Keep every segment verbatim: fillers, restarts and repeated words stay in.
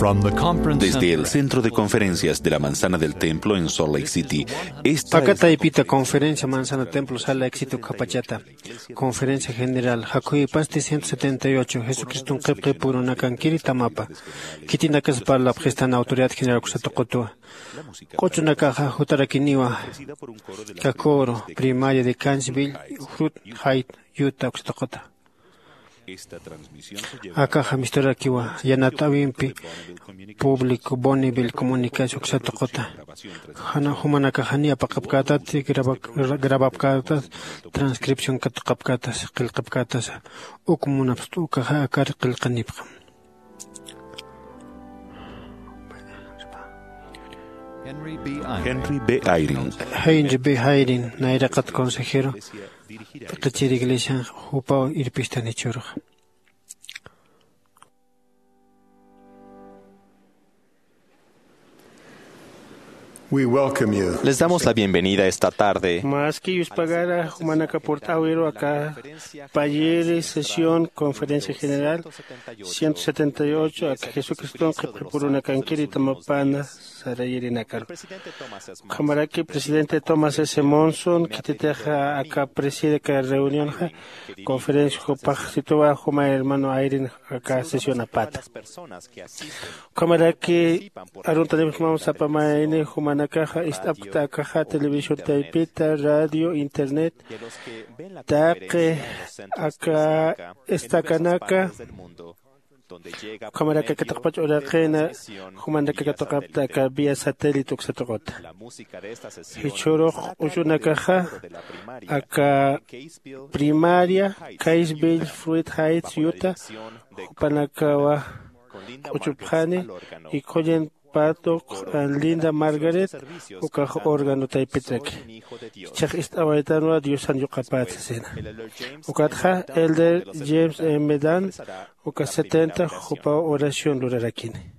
From the conference Desde el center. Centro de Conferencias de la Manzana del Templo en Salt Lake City, esta Aka es taypita conferencia Manzana Templo Salt Lake City ukhapachata. Conferencia General, jakhuypasti ciento setenta y ocho, Jesucriston qhipqipurunakankiri tamapa. Khitinakas parlapxistan autoridad general uksa tuqutwa. Q'uchunakaxa jutarakiniwa, kakuru, primaria de Gainesville, Fruit Heights, Utah, uksa tuquta. Akaxa misturakiwa, yanat'äwimpi público Bonneville Comunicación uksa tuquta. Jana jumanakaxa janiy apaqapkätati, graba-, grabapkätati, transcripción katuqapkätasa, qillqapkätasa. Uk munapxta ukaxa akar qillqanipxam. Henry B. Eyring. Henry B. Eyring, nayraqat consejero, p'iqichir iglesian jupaw irpistan jichhüruxa. We welcome you. Les damos la bienvenida esta tarde. Maski yuspagara jumanaka purt'äwiru aka payiri sesión conferencia general ciento setenta y ocho aka Jesucriston qhipqipurunakankiri tamapana sarayirinakaru. Ukhamaraki presidente Thomas S. Monson khititixa aka preside aka reunionxa, conferencia jupax situwa juma hermano Eyring aka sesión apata. Ukhamaraki aruntanipxsmam sapa mayni jumanakaxa ist'apkta akaxa televisión taypita, radio, internet, taqi aka estacanaka, ukhamaraki aka taqpach uraqina, jumanaka katuqapta aka vía satélite uksa tuquta. Jichhürux q'uchunakaxa aka primaria, Gainesville, Fruit Heights, Utah, jupanakawa q'uchupxani, y Colin Paddock, Linda Margaret, ukax órgano taypitraki. Jichhax ist'awaytanwa Diosan yuqapäta sasina. Ukatxa Elder James M. Dunn, uka setenta, jupaw oración lurarakini.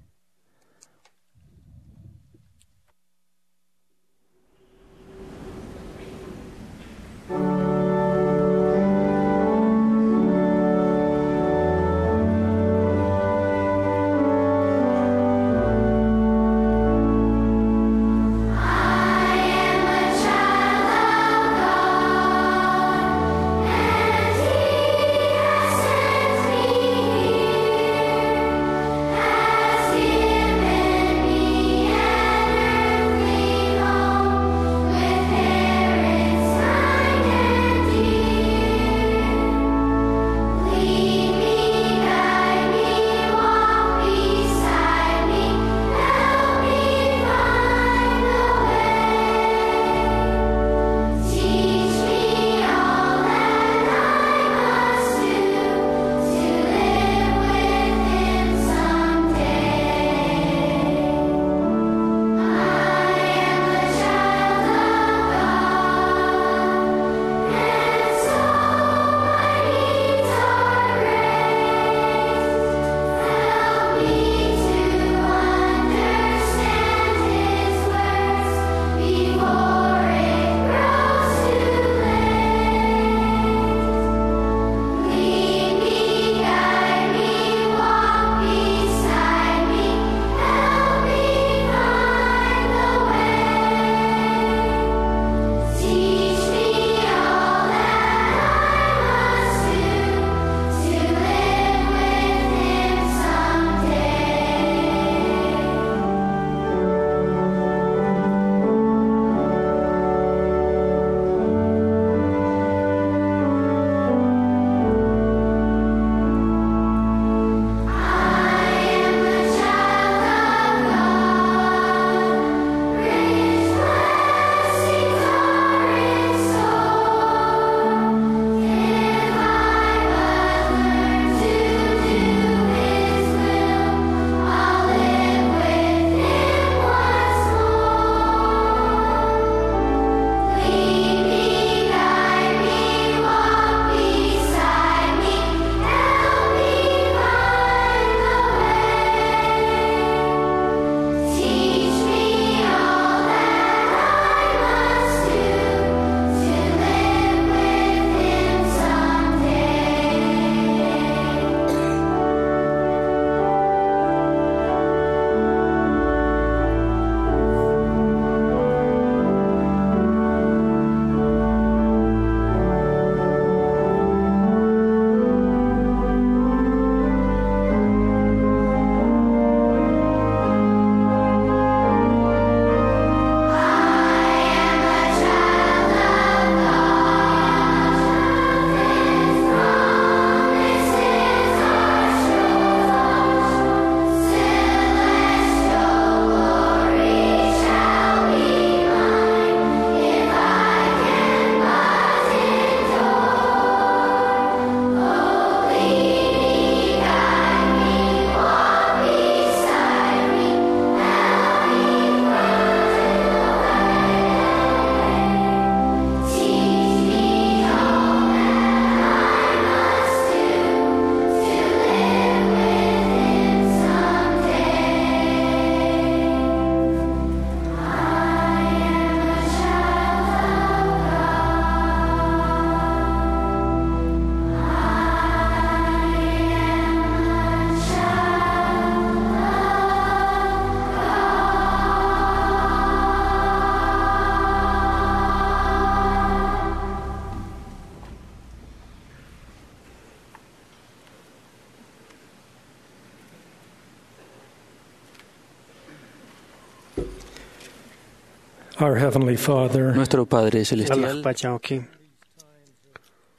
Our Heavenly Father, Nuestro Padre Celestial, Alajpachawki,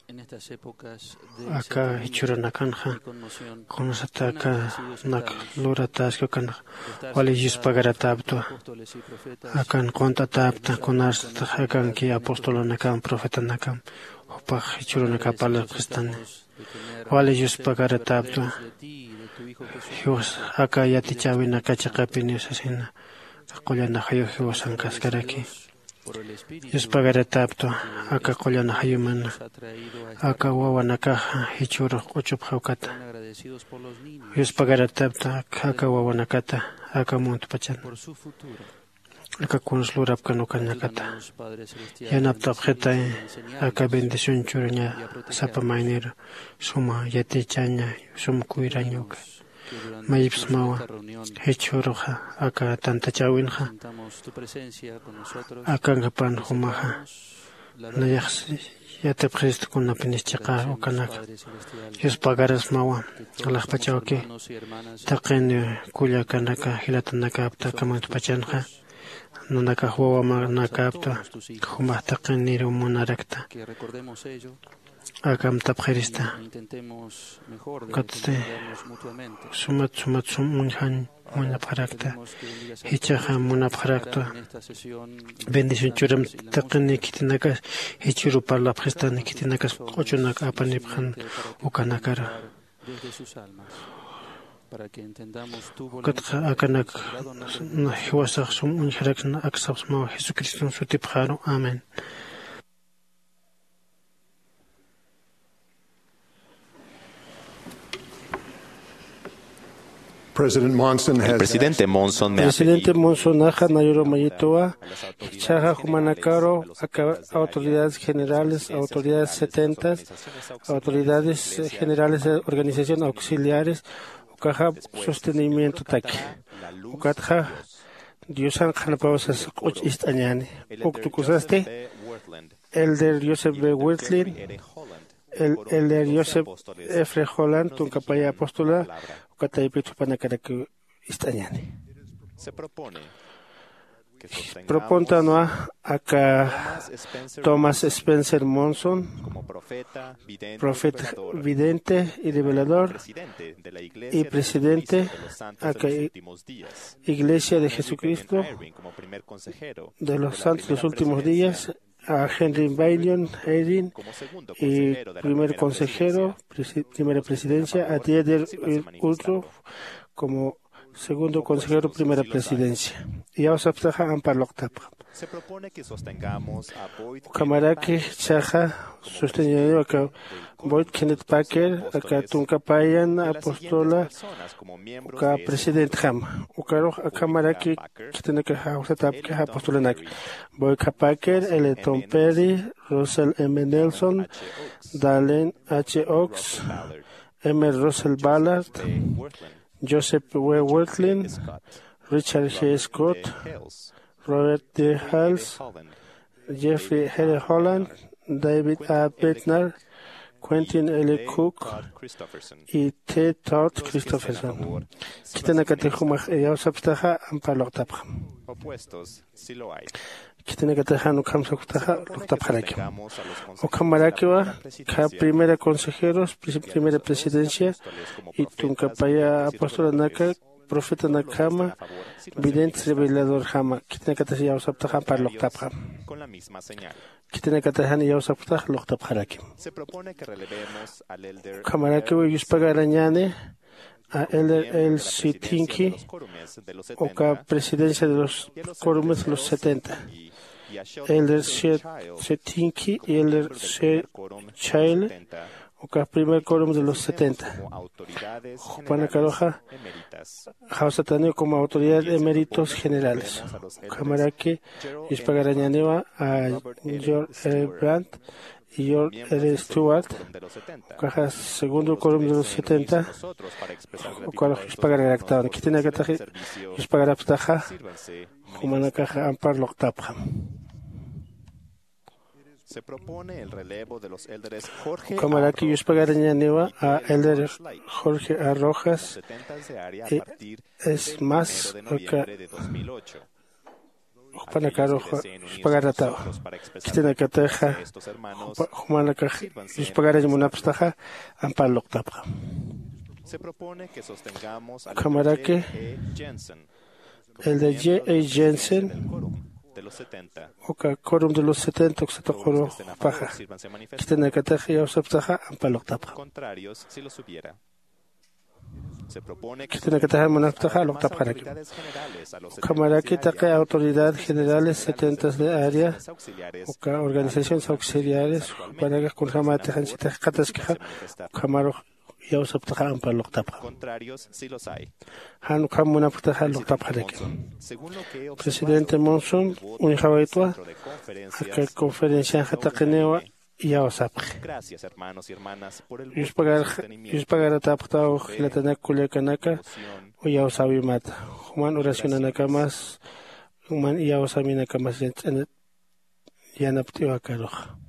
En estas épocas de aka incertidumbre jichhürunakanxa, y conmoción, kunasata aka nak luratäski ukanxa, wali yuspagaratäptwa. Akan qunt'atäpta, kunasata akanki apostolanakan, profetanakam, jupax jichhürunaka parlapxistani. Wali yuspagaratäptwa. Jiwas aka yatichäwinaka chiqapiniw sasina, qullana jayu jiwasankaskaraki. Yuspagaratäptwa aka qullana jayumana, aka wawanakaxa jichhürux q'uchupxä ukata. Yuspagaratäptwa aka wawanakata, aka muntpachana, aka kuns lurapkan ukanakata. Yanapt'apxitay aka bendición churaña sapa mayniru, suma yatichaña, sum kuyraña uka. Mayipsmawa jichhüruxa aka tantachäwinxa, akankapan jumaxa, nayax yatipxist kunapinis chiqa ukanaka. Yuspagarasmawa, alajpachawki, taqin kullakanaka jilatanakapta aka muntpachanxa, nanakax wawamanakapta, jumax taqiniru munarakta. Akamtapxirista. Ukatsti sumat sumat sum uñjañ munapxarakta. Jichhaxa munapxarakta bendición churam taqini khitinakas jichhüru parlapxistani, khitinakas q'uchunak apanipxan ukanakaru. Ukatxa akanak jiwasax sum uñjaraksna aksapxsmaw Jesucriston sutipxaru. Amén. President Monson El has presidente Monson me ha Presidente pedido Monsonaxa nayurumayituwa jichhaxa jumanakaru aka autoridades generales, autoridades setentas, autoridades generales de organización auxiliares, ukaxa sostenimientotaki. Ukatxa Diosan qhanapawsas q'uch ist'añäni. Uk tukusasti Elder Joseph B. Wirthlin, el, Elder Joseph F. Holland, tunkapaya apóstola, uka taypit jupanakarak ist'añäni. Propontanwa aka Thomas Spencer Monson, profeta, vidente y revelador, y presidente aka Iglesia de Jesucristo de los Santos de los Últimos Días, a Henry Bennion Eyring y primer consejero, presi-, primera presidencia, a Dieter Uchtdorf como segundo consejero, primera presidencia. Iyawsapxtaxa ampar luqtapxam. Ukhamaraki jichhaxa sosteñäniwa aka Boyd Kenneth Packer, aka tunka payan apóstola, uka presidentjama. Ukarux akhamaraki khitinakax jawsatäpki apostolanak. Boyd K. Packer, L. Tom Perry, Russell M. Nelson, Dallin H. Oaks, M. Russell Ballard, Joseph W. Wirthlin, Richard G. Scott, Robert D. Hales, Jeffrey L. Holland, David A. Bednar, Quentin L. Cook y T. Todd Christofferson. Khitinakatix jumax iyawsapxtaxa ampar luqtapxam. Khitinakatix jan ukham suktaxa luqtapxaraki. Ukhamarakiwa aka primera consejeros, pri-, primera presidencia y tunka paya apostolanaka, profetanakjama, videntes reveladorjama, khitinakatix iyawsapxtaxa ampar luqtapxam. Khitinakatix jan iyawsapxtaxa luqtapxaraki. Ukhamarakiw yuspagarañäni a Elder L. C. Tinky, uka presidencia de los quórumes de los setenta. Elder C. C. Tinky y Elder C. Child, uka primer quórum de los setenta. Jupanakaruxa jawsataniw como autoridad eméritos generales. Ukhamaraki yuspagarañäniwa a George R. Brandt y George R. Stewart, ukaxa segundo quórum de los setenta, ukarux yuspagararaktawan. Khitinakatix yuspagarapxtaxa, jumanakaxa ampar luqtapxam. Ukhamaraki yuspagarañäniwa a Elder Jorge A. Rojas, y es más, uka jupanakarux yuspagaratawa. Khitinakataxa jumanakax yuspagarañ munapxtaxa ampar luqtapxam. Ukhamaraki el de J A Jensen uka quorum de los setenta uksa tuquru jupaxa khitinakatax iyawsapxtaxa ampar luqtapxam. Khitinakatax jan munapxtaxa luqtapxaraki. Ukhamaraki taqi autoridad generales setentas de área uka organizaciones auxiliares jupanakax kunjämätix anchhita jikxataskixa ukhamarux iyawsapxtaxa ampar luqtapxam. Jan ukham munapxtaxa luqtapxaraki. Presidente Monson uñjawaytwa aka conferencianxa taqiniwa iyawsapxi. Yuspagaratapxtaw jilatanak kullakanaka iyawsäwimata juman oracionanakamas juman iyawsäwinakamas yanapt'iwakaruxa.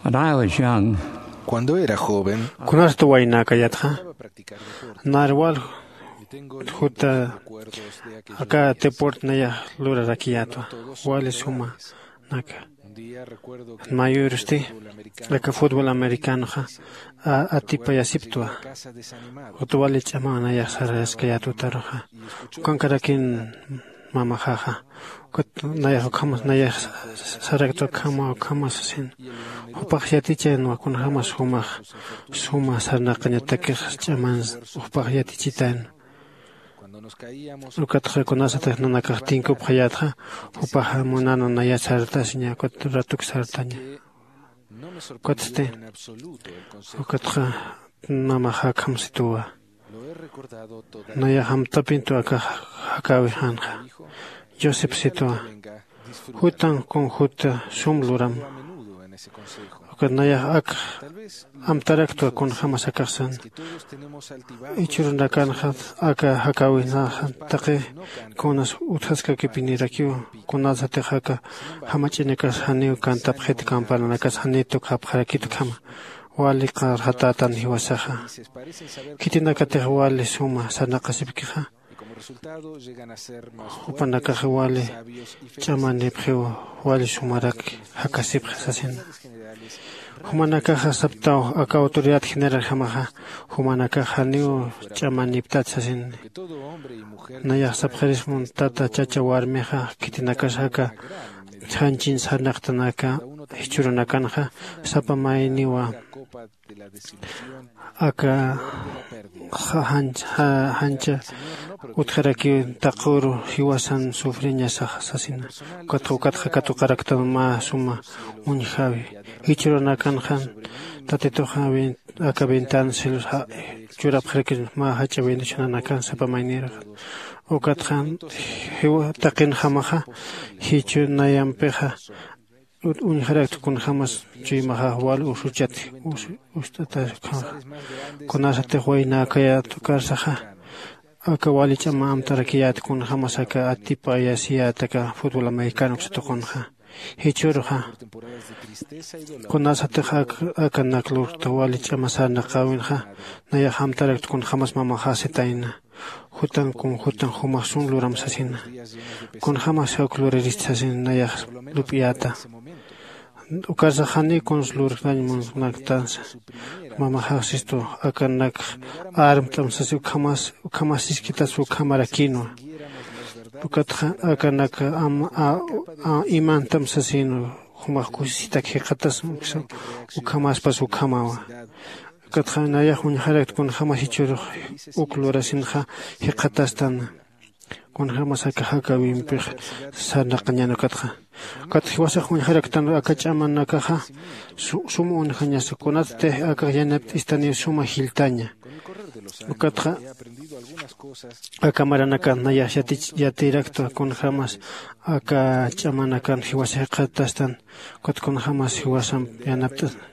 When I was young, Cuando era joven, kunasta waynäkayatxa, narwal juta aka deporte nayax lurarakiyätwa, wali suma naka. Mayürusti aka fútbol americanoxa atipayasiptwa. Juta wali ch'amaw nayax saraskayätwa taruxa. Ukankarakin mamaxaxa, ukat nayax ukhamas nayax saraktwa ukhama ukhama sasin. Jupax yatichayanwa kunjämas jumax suma sarnaqañatakix ch'aman jupax yatichitan. Ukatxa kunasatix nanakax tinkupxayätxa, jupaxa munana naya sartasiña ukat ratuk sartaña. Ukatsti ukatxa mamaxa akhamsituwa. Nayax amtapintu aka jakäwixanxa. Joseph sitwa, jutan kun juta sum luram. Ukat nayax ak amtaraktwa kunjämas akaxsan. Jichhürunakanxa aka jakäwinaxa taqi kunas utjaskakipinirakiw, kunasatix aka jamach'inakas janiw kantapxit, campananakas janiw tukxapxarakit ukhama. Wali qarxatätan jiwasaxa. Khitinakatix wali suma sarnaqasipkixa. Jupanakax wali ch'amanipxiw, wali sumarak jakasipxi sasina. Jumanakaxa saptaw aka autoridad general jamaxa, jumanakax janiw ch'amaniptat sasina. Nayax sapxirismun tata chacha warmixa khitinakas aka janchin sarnaqtanaka jichhürunakanxa sapa mayniwa aka jancha utjarakiw taquru jiwasan sufriñasax sasina. Ukatxa ukatxa katuqaraktan mä suma uñjawi. Jichhürunakanxan tatituxa aka ventana cielos churapxarakir mä jach'a bendicionanakan sapa maynirxa. Ukatxa jiwa taqinjamaxa jichhü nayampixa uñjarakta kunjämas chuymaxax wal usuchat ust'atakxaxa. Kunasatix waynäkayät ukarsaxa aka wali ch'ama amtarakiyät kunjämas aka atipayasiyät aka fútbol americano uksa tuqunxa. Jichhüruxa kunasatix akanak lurkta wali ch'ama sarnaqäwinxa nayax amtarakta kunjämas mamaxax sitayna. Jutan kun jutan jumax sun luram sasina. Kunjämas uk lurarist sasina nayax lup'iyäta. Ukarsax janiw kuns lurktañ munaktansa. Mamaxax sistu akanakx armt'am sasi ukhamas ukhamas siskitas ukhamarakïnwa. Ukatxa akanak imantam sasïnwa. Jumax kusisitak jikxatasma ukhamaspas ukhamawa. Ukatxa nayax uñjarakta kunjämas jichhürux uk lurasinxa jikxatastan. Kunjämas aka jakäwimpix sarnaqañän ukatxa. Ukatxa jiwasax uñjaraktan aka ch'amanakaxa sum uñjañasa kunatsti akax yanapt'istaniw suma jilltaña. Ukatxa aka maranakan nayax yatiraktwa kunjämas aka ch'amanakan jiwasax jikxatastan. Ukat kunjämas jiwasamp yanapt'astan.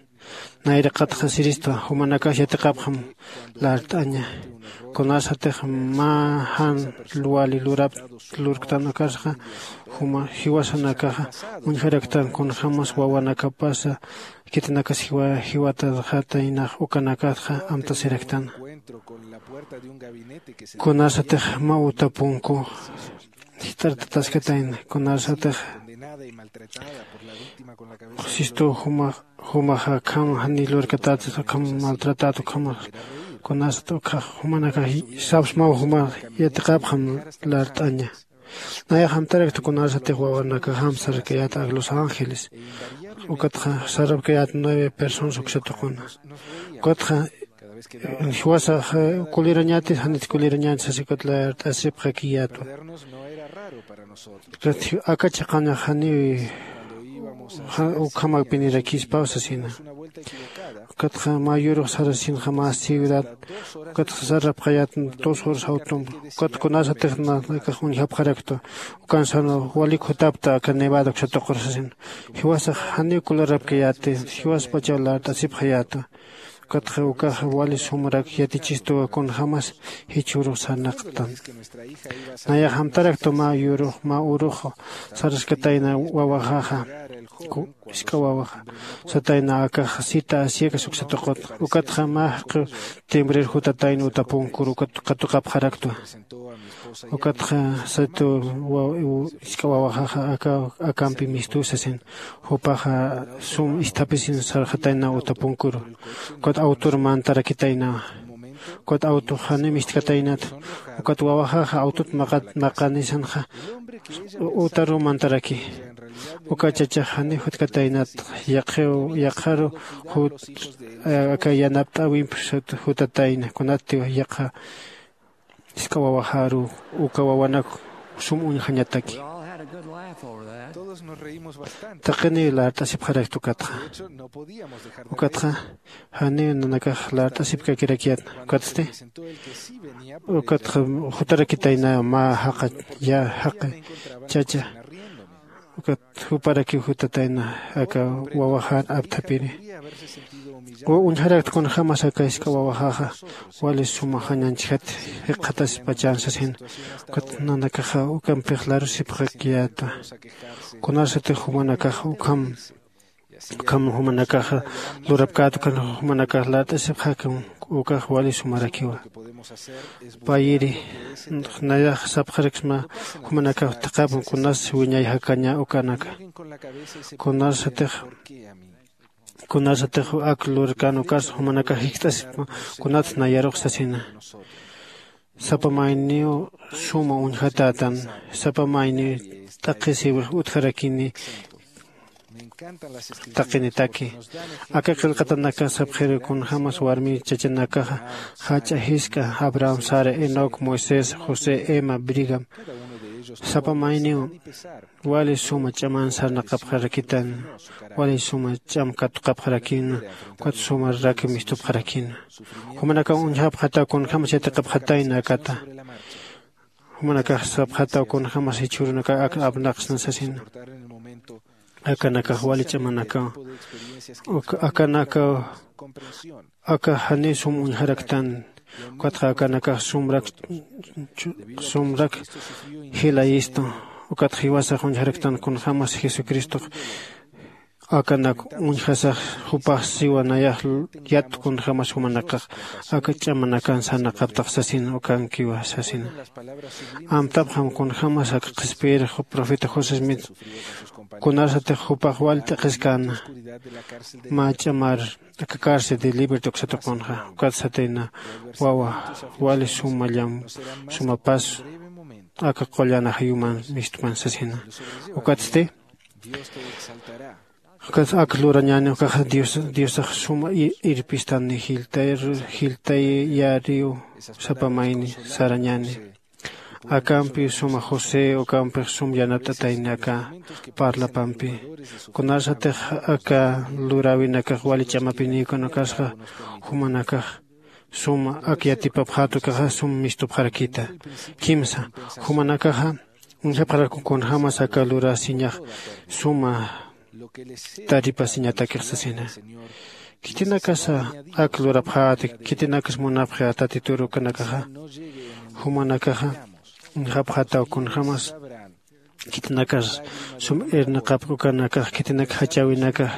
Nayraqatxa siristwa jumanakax yatiqapxam lart'aña. Kunasatix mä jan wali lurap lurktan ukarsaxa jiwasanakaxa uñjaraktan kunjämas wawanakapasa khitinakas jiwatarxataynax ukanakatxa amtasiraktana. Kunasatix mä uta punku jist'artataskatayna kunasatix sistu jumax jumaxa akham janiy lurkatäta akham maltratäta ukhamax kunasat ukhax jumanakax sapsmaw jumax yatiqapxam lart'aña. Nayax amtarakta kunasatix wawanakax amsarkayäta ak los ángeles ukatxa sarapkayäta nueve personas uksa tuquna. Ukatxa jiwasax kulirañäti janit kulirañäti sasi ukat lart'asipxakiyätwa. Aka chiqañax janiw ukhamakpinirakispaw sasina. Ukatxa mä yurux sarasinxa mä ciudad ukatxa sarapxayät dos horas jawtumpa. Ukat kunasatix nanakax uñjapxaraktwa ukansan walik jutapta aka nevada uksa tuqur sasina. Jiwasax janiw kularapkayäti jiwaspachaw lart'asipxayätwa. Ukatxa ukaxa wali sumrak yatichistuwa kunjämas jichhürux sarnaqtan. Nayax amtaraktu mä yürux mä urux saraskatayna wawaxaxa, isk'a wawaxa satayna akax cita asiakas uksatuqut. Ukatxa mä jaqiw timbrir jutatayna utapunkür ukat katuqapxaraktwa. Ukatxa satu isk'a wawaxaxa aka akampi mistuw sasin. Jupaxa sum isthapisin sarxatayna utapunküru. Ukat awtur mantarakitaynawa. Ukat awtux janiw mistkataynat. Ukat wawaxaxa awtut maqanisanxa utaruw mantaraki. Uka chachax janiw jutkataynat. Yaqhiw yaqharu jut aka yanapt'äwimp jutatayna kunattiw yaqha isk'a wawaxaru uka wawanak sum uñjañataki. Taqiniw lart'asipxarakta ukatxa. Ukatxa janiw nanakax lart'asipkakirakiyat. Ukatsti ukatxa jutarakitayna mä jaqa ya jaqi chacha. Ukat juparakiw jutatayna aka wawaxar apthapiri. Uñjarakt kunjämas aka isk'a wawaxaxa wali suma jañanchjat jikxataspachan sasin. Ukat nanakaxa ukampix larusipxakiyätwa. Kunarsatix jumanakax ukham ukham jumanakaxa lurapkät ukan jumanakax lart'asipxäkam. Ukax wali sumarakiwa. Payiri nayax sapxaraksma jumanakax thaqhapun kunas wiñay jakaña ukanaka. Kunarsatix kunarsatix ak lurkan ukas jumanakax jikst'asipma kunats nayarux sasina. Sapa mayniw suma uñjatätan. Sapa mayniw t'aqhisiwix utjarakini taqinitaki. Aka qillqatanakax sapxiru kunjämas warmi chachanakaxa jach'a jisk'a abraham sara enoc moisés josé emma brigam. Sapa mayniw wali suma ch'aman sarnaqapxarakitan. Wali suma ch'am katuqapxarakina. Ukat suma raki mistupxarakina. Jumanakaw uñjapxataw kunjämas yatiqapxatayna akata. Jumanakax sapxataw kunjämas jichhürunakax ak apnaqsna sasina. Akanakax wali ch'amanakaw akanakaw aka janiw sum uñjaraktan. Ukatxa akanakax sumrak sumrak jilayistu. Ukatxa jiwasax uñjaraktan kunjämas jesucristox akanak uñjasax jupax siwa nayax yat kunjämas jumanakax aka ch'amanakan sarnaqaptax sasin ukankiwa sasina. Amtapxam kunjämas aka qhispiyirix profeta josé smith kunarsatix jupax wal t'aqhiskäna mä ch'amar aka cárcel de libertad uksatuqunxa. Ukat satayna wawa wali suma llam suma pas aka qullan ajayuman mistpan sasina. Ukatsti ukat ak lurañäni ukaxa diosax suma irpistani jiltayariw sapa mayni sarañäni. Akampiw suma josé ukampix sum yanapt'atayni aka parlapampi. Kunarsatix aka luräwinakax wali ch'amapinïkun ukasxa jumanakax suma ak yatipapxät ukaxa sum mistupxarakïta. Kimsa jumanakaxa uñjapxarakun kunjämas aka lurasiñax suma taripasiñatakix sasina. Khitinakasa ak lurapxäti khitinakas munapxi tatitur ukanakaxa jumanakaxa uñjapxataw kunjämas khitinakas sum irnaqapki ukanakax khitinak jachäwinakax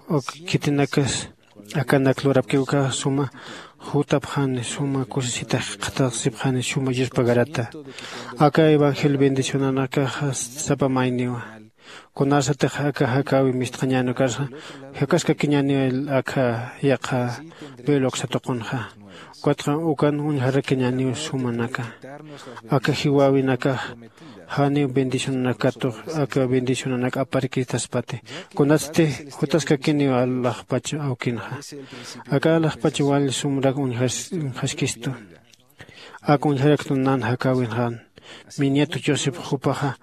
uk khitinakas akanak lurapki ukax suma jutapxani suma kusisitax qhatasipxani suma yuspagarata. Aka evangelio bendicionanakaxa sapa mayniwa kunarsatix aka jakäwi mistxañäni ukarsa jakaskakiñäniw aka yaqha biblioksatuqunxa. Ukatxa ukan uñjarakiñäniw sumanaka aka jiwäwinakax janiw bendicionanakatux aka bendicionanak aparkitaspati. Kunatsti jutaskakiniw alaxpach awkinxa aka alaxpach wal sumrak uñjaskistu. Ak uñjaraktu nan jakäwinxan miñatu josep jupaxa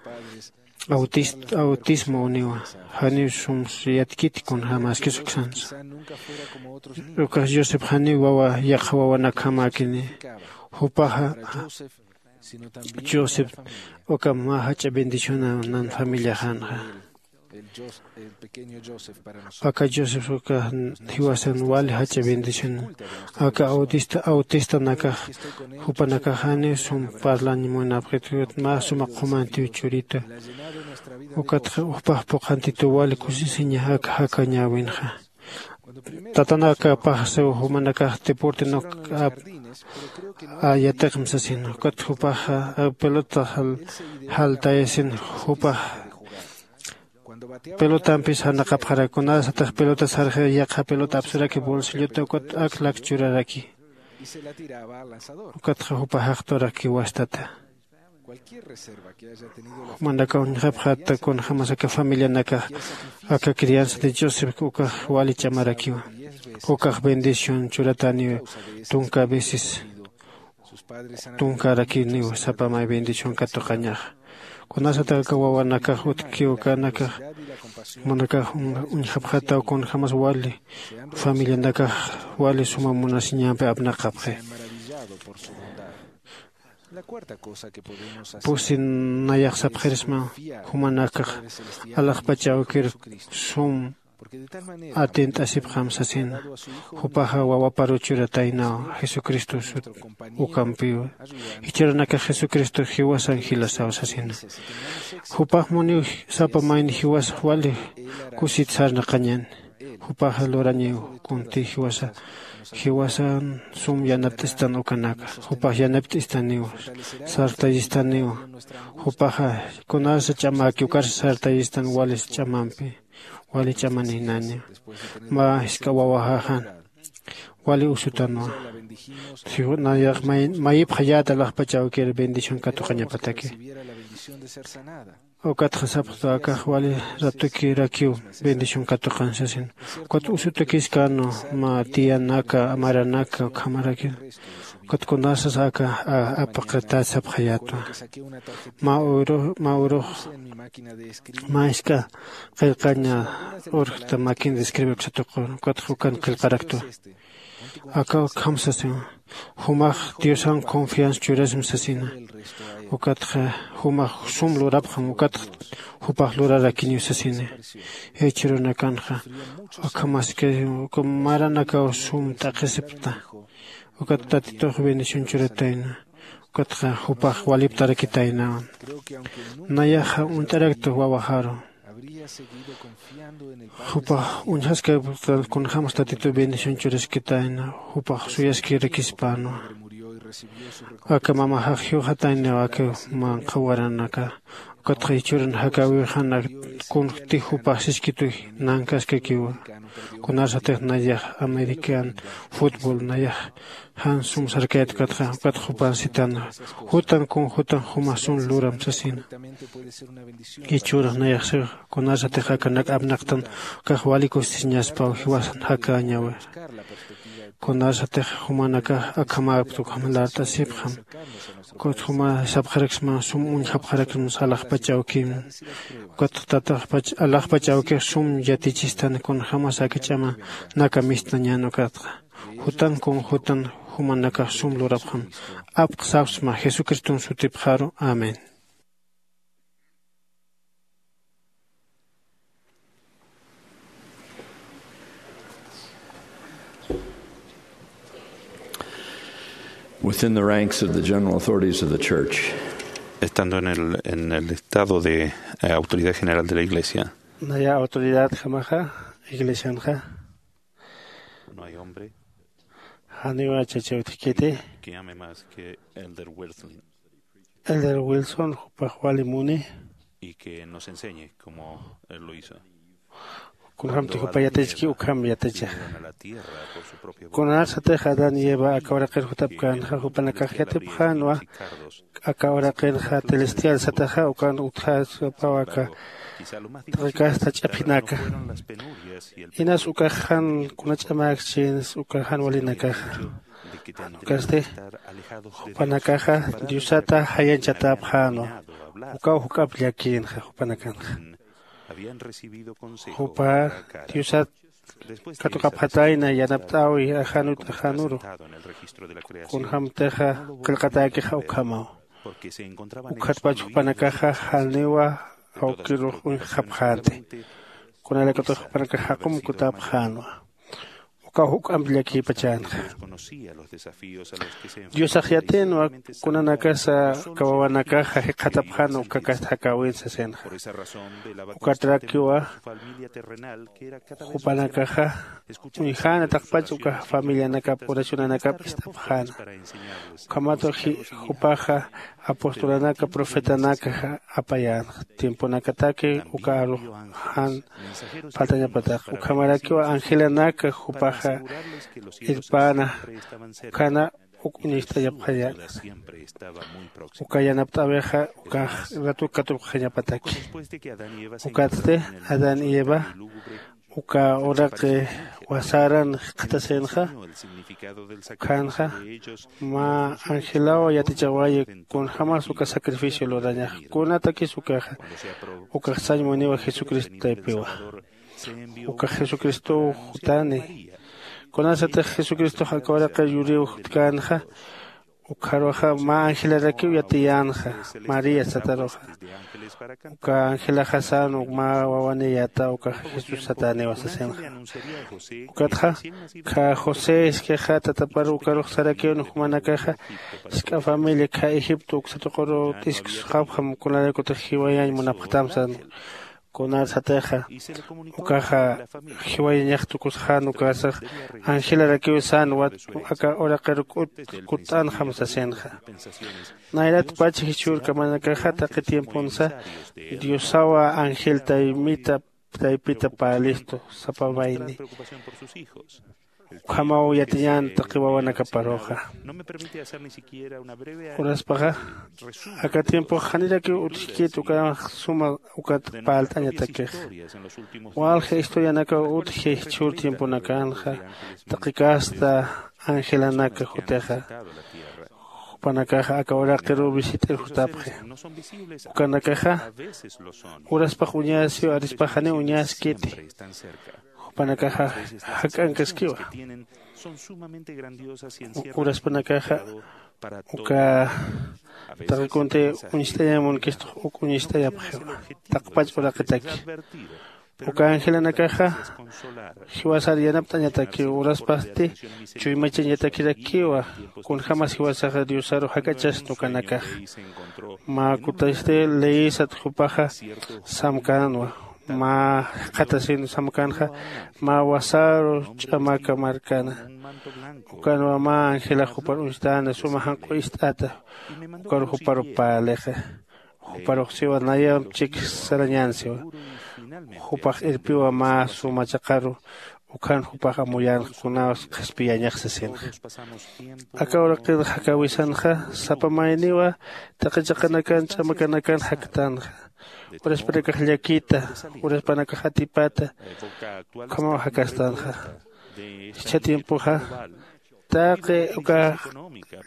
autismo uniwa. Janiw sums yatkiti kunjämaskis uksansa ukax josep janiw wawa yaqha wawanakjamäkini. Jupaxa josep uka mä jach'a bendiciona nan familiaxanxa. Aka Joseph uka jiwasan wali jach'a bendición. Aka autista, autistanakax jupanakax janiw sum parlañ munapxit, mä suma qhumantiw churita. Ukat jupax puqhantituw wali kusisiña aka jakañäwinxa. Tatanakapax siw jumanakax deporte nuk ap yatiqm sasin. Ukat jupax pelota jaltayasin. Jupax pelotampis janaqapxarak, kunasatix pelota sarxi yaqha pelota apsuraki bolsilluta ukat aklak churaraki. Ukatxa jupa jaqturaki wastata. Jumanakaw uñjapxata kunjämas aka familianakax aka crianza de Joseph ukax wali ch'amarakiwa. Ukax bendición churataniw tunka veces tunkarakiniw sapa may bendición katuqañaxa. Kunasatix aka wawanakax utjkiw ukanakax jumanakax uñjapxataw kunjämas wali familianakax wali suma munasiñampi apnaqapxi. Pusi nayax sapxirisma jumanakax alaxpach awkir sum atint'asipxam sasina. Jupaxa wawaparu churataynaw jesucristo sut ukampiw. Jichhürunakax jesucristo jiwasan jilasaw sasina. Jupax muniw sapa mayni jiwas wali kusit sarnaqañan. Jupaxa lurañiw kunti jiwasa jiwasan sum yanapt'istan ukanaka. Jupax yanapt'istaniw sartayistaniw. Jupaxa kunasa ch'amaki ukarsa sartayistan walis ch'amampi wali ch'amaninani. Mä jisk'a wawaxaxan wali usutanwa. Nayax mayipxayäta alaxpach awkir bendición katuqañapataki. Ukatxa sapxta akax wali ratukirakiw bendición katuqan sasin. Ukat usutakiskänu mä tiyanaka maranaka ukhamaraki. Ukat kunasas aka apaqatat sapxayätwa. Mä urux mä urux mä jisk'a qillqaña urjta makin describir satuqun. Ukatxa ukan qillqaraktwa. Aka ukham sasin. Jumax diosan confianza churasmi sasina. Ukatxa jumax sum lurapxam ukatxa jupax lurarakiniw sasina. Jichhürunakanxa ukhamaskiriw uka maranakaw sum t'aqhisipxta. Ukat tatitux bendición churatayna. Ukatxa jupax waliptarakitaynawan. Nayaxa uñt'araktux wawaxaru. Jupax uñjaskapktan kunjämas tatituw bendición churaskitayna. Jupax suyaskirakispäna. Aka mamaxax jiwxatayniw aka manqha waranaka. Ukatxa jichhürun jakäwiw jan kunjti jupax siskituy nankaskakiwa. Kunasatix nayax american fútbol nayax jan sum sarkayat ukatxa ukat jupan sitanwa. Jutan kun jutan juma sum luram sasina. Jichhürax nayaxsix kunasatix akanak apnaqtan ukax wali kusisiñaspaw jiwasan jakäñawi. Kunasatix jumanakax akhamäpkta ukham lart'asipxam. Ukat juma sapxaraksma sum uñjapxaraksma alaxpach awkim. Ukat tataxpach alaxpach awkix sum yatichistan kunjämas aka ch'amanaka mistnañän ukatxa. Jutan kun jutan jumanakax sum lurapxam. Apq sapsma jesucriston sutipxaru. Amén. Within the ranks of the general authorities of the church, estando en el, en el estado de eh, autoridad general de la iglesia, naya autoridad jamaxa iglesianxa no hay hombre janiwa chacha utjkiti que ame más que Elder Wilson. Elder Wilson jupax wali muni y que nos enseñe como él lo hizo. Kunjamti jupa yatichki ukham yaticha. Kunasatix adán y eva aka uraqir jutapkänxa jupanakax yatipxänwa. Aka uraqirxa celestial sataxa ukan utjasapaw aka taqikasta ch'aphinaka. Inas ukaxan kuna ch'amäkchins ukaxan walinakaxa. Ukasti jupanakaxa diosata jayañchatäpxänwa. Ukaw juk'amp llakïnxa jupanakanxa. Jupa diosat katuqapxatayna yanapt'äwi ajanut ajanuru. Kunjämtixa qillqatäkixa ukhamaw. Ukhatpach jupanakaxa janiwa awkirux uñjapxänti. Kunalaykutix jupanakax jaqum kutapxänwa. Ukaw juk'amp llakipachänxa. Diosax yatïnwa kunanakasa kawawanakaxa jikxatapxän ukkakasta jakäwin sasinxa. Ukatarakiwa jupanakaxa uñjäna taqpach uka familianakap oracionanakap ist'apxäna. Ukhamat jupaxa apostolanaka profetanaka apayänxa tiemponakataki uka arux jan phaltañapataq ukhamarakiwa angelanaka jupaxa irpäna ukhana uk uñacht'ayapxañäna. Uka yanapt'äwixa ukax ratuk katupxañapataki. Ukatsti adán y eva uka uraqi wasaran jikxatasinxa. Ukhanxa mä angelaw yatichawayi kunjämas uka sacrificio lurañax kunatakis ukaxa. Ukax sañ muniwa jesucristo taypiwa. Ukax jesucristow jutani. Kunasatix jesucristox aka uraqir yuriw jutkänxa ukxaruxa mä angelarakiw yatiyänxa. María sataruxa uka angelaxa sän uk mä wawaniyäta ukax jesús satäniwa sasinxa. Ukatxa kha josé iskixa tatapar ukarux sarakiw jumanakaxa jisk'a familia kha egipto uksa tuquru t'isksxapxam kunalaykutix jiwayañ munapxtam sän. Kunar satixa ukaxa jiwayañax tukusxän ukasax angelarakiw sän aka uraqir kutt'anxam sasinxa. Nayrat pach jichhürkamanakaxa taqi tiemponsa diosawa angel taymita taypita parlistu sapa mayni. Ukhamaw yatiñän taqi wawanakaparuxa. Uraspaxa aka tiempox janirakiw utjkit uka suma ukat parlt'añatakix. Walja historianakaw utji jichhür tiemponakanxa taqi casta angelanaka jutixa. Jupanakaxa aka uraqiruw visit'ir jutapxi. Ukanakaxa uraspax uñasiw arispax janiw uñaskiti. Jupanakaxa jak'ankaskiwa. Uraspanakaxa uka taqi kunti uñst'añamunkistux uk uñst'ayapxiwa. Taqpach uraqitaki uka angelanakaxa jiwasar yanapt'añatakiw uraspasti chuymachañatakirakiwa. Kunjämas jiwasaxa diosaru jak'achasna ukanakaxa mä kutasti leyisat jupaxa samkänwa. Mä jikxatasin samkänxa mä wasaru ch'amaka markana. Ukanwa mä angelax jupar uñstana suma janq'u ist'ata. Ukaru juparu parlixa juparux siwa nayamp chik sarañän siwa. Jupax irpiwa mä suma chaqaru ukhan jupax amuyänxa kunaws qhispiyañax sasinxa. Aka uraqir jakäwisanxa sapa mayniwa taqi chaqanakan ch'amakanakan jaktanxa. Uraspanakax llakita uraspanakax atipata ukhamaw jakastanxa. Jichha tiempoxa taqi uka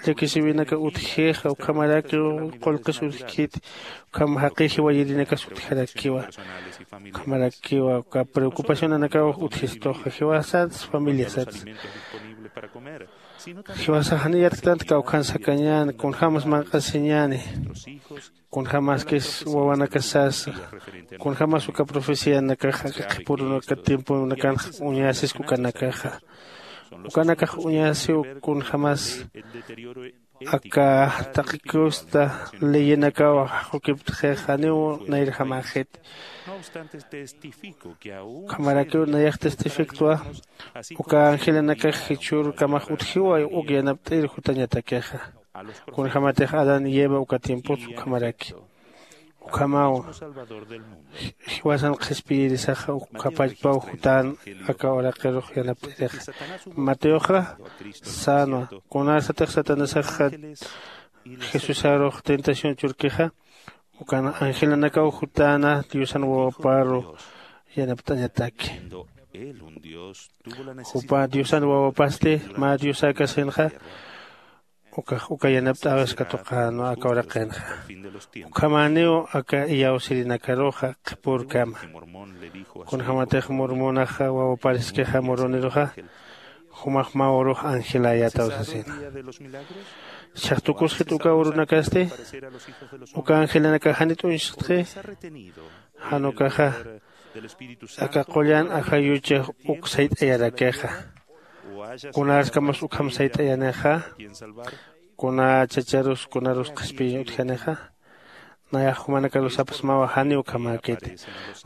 llakisiwinaka utjixa ukhamarakiw qullqis utjkiti. Ukham jaqi jiwayirinakas utjarakiwa. Ukhamarakiwa uka preocupacionanakaw utjistuxa jiwasats familiasats. Jiwasax janiw yatktanti kawkhan sakañäni kunjämas manq'asiñäni. Kunjämaskis wawanakasasa kunjämas uka profecianakaxa aka qhipürunaka tiemponakanxa uñasiski ukanakaxa. Ukanakax uñasiw kunjämas aka taqi kusta leyinakaw jaqukiptxix janiw nayrjamäxiti. Ukhamarakiw nayax testifiktwa uka angelanakax jichhürkamax utjiwa uk yanapt'ir jutañatakixa. Kunjämatix adán y eva uka tiempos ukhamaraki ukhamaw jiwasan qhispiyirisaxa ukkhapachpaw jutän. Aka uraqirux yanapt'irixa mateoxa sänwa kunasatix satanasaxa jesusarux tentación churkixa ukan angelanakaw jutäna diosan wawaparu yanapt'añataki. Jupa diosan wawapasti mä diosäkasinxa ukax uka yanapt'äwis katuqänwa aka uraqinxa. Ukhamäniw aka iyawsirinakaruxa qhipürkama. Kunjämatix mormonaxa wawapariskixa moroniruxa jumax mä urux angeläyätaw sasina. Chhaqtukusxit uka urunakasti. Uka angelanakax janit uñstxi. Jan ukaxa aka qullan ajayuchax uk sayt'ayarakixa. Kunarskamas ukham sayt'ayanixa? Kuna chacharus kunarus qhispiyiñ utjanixa? Nayax jumanakarus sapxsmawa janiw ukhamäkiti.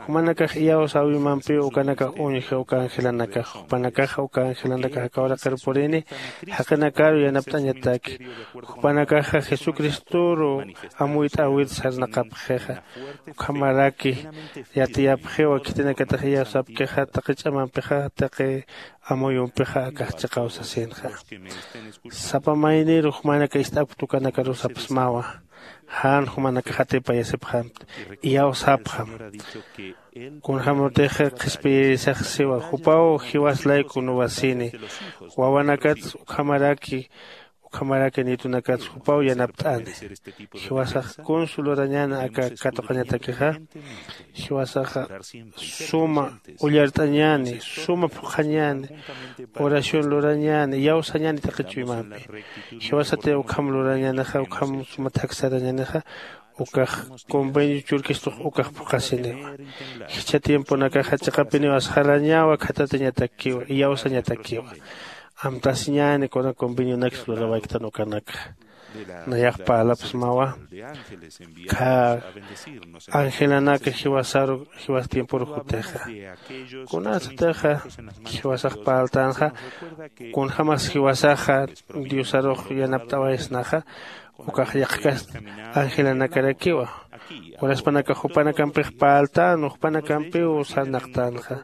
Jumanakax iyawsäwimampiw ukanakax uñji uka angelanakax. Jupanakaxa uka angelanakax aka uraqir purini jaqinakaru yanapt'añataki. Jupanakaxa jesucristoru amuyt'äwir sarnaqapxixa. Ukhamaraki yatiyapxiwa khitinakatix iyawsapkixa taqi ch'amampixa taqi amuyumpixa akax chiqaw sasinxa. Sapa mayniru jumanaka ist'apkta ukanakarus sapxsmawa. Jan jumanakax atipayasipxamti, iyawsapxam. Kunjämutix qhispiyirisax siwa jupaw jiwas layku nuwasini. Wawanakats ukhamaraki ukhamaraki nitunakats jupaw yanapt'ani. Jiwasax kunsu lurañäni aka katuqañatakixa. Jiwasaxa suma ullart'añäni, suma phuqhañäni, oración lurañäni, iyawsañäni taqi chuymampi. Jiwasati ukham lurañänixa ukham suma thaksarañänixa. Ukax convenio churkistux ukax phuqhasiniwa. Jichha tiemponakaxa chiqapiniw asxarañawa khatatiñatakiwa iyawsañatakiwa. Amtasiñäni kuna convenionaksa lurawayktän ukanakxa. Nayax parlapxsmawa. Khä angelanaka jiwasaru jiwas tiemporu jutixa. Kunasatixa jiwasax parltänxa kunjämas jiwasaxa diosarux yanapt'awaysnaxa. Ukax yaqhkast angelanakarakiwa. Uraspanakax jupanakampix parltänwa jupanakampiw sarnaqtänxa.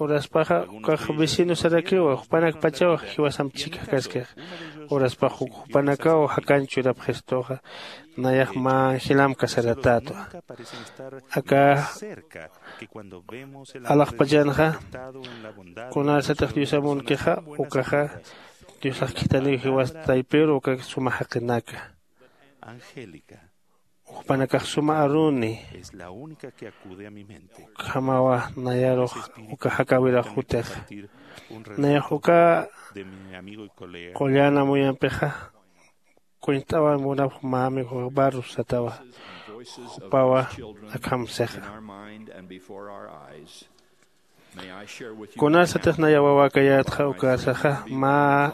Uraspaxa ukax vecinosarakiwa jupanakpachaw jiwasamp chhikjkaskix. Uraspax jupanakaw jakañ churapxistuxa. Nayax mä angelamp kasaratätwa. Aka alaxpachanxa kunarsatix diosamunkixa ukaxa diosax khithaniw jiwas taypiru uka suma jaqinaka. Jupanakax suma aruni. Ukhamawa nayarux uka jakäwirax jutixa. Nayax uka qullan amuyampixa kuñt'awa munapx mä amigox barros satawa. Jupawa akham sixa. Kunasatix naya wawakayätxa ukarsaxa mä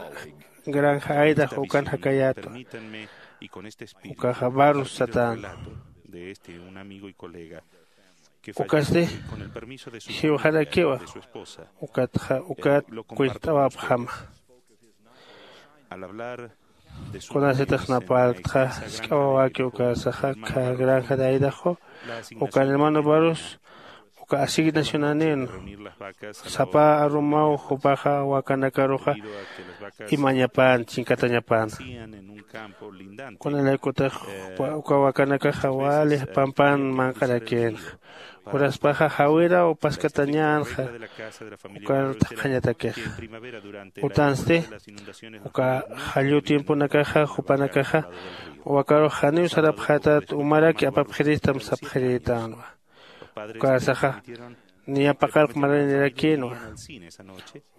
granja aidax ukan jakayätwa. Ukaxa barros satäna. Ukasti jiwxarakiwa. Ukatxa ukat kuñt'awapxama. Kunasatix napaltxa jisk'a wawaki ukarsaxa kha granja de aidaxu ukan hermano barros uka asignacionanin sapa arumaw jupaxa wakanakaruxa imañapan chinkatañapan. Kunalaykutix uka wakanakaxa wali pampan manq'arakinxa. Uraspaxa jawiraw paskatañänxa. Ukar thaqhañatakixa utansti uka jallu tiemponakaxa jupanakaxa wakarux janiw sarapxätät umaraki apapxiristam sapxirïtänwa. Ukarsaxa niya paqallq maranirakïnwa.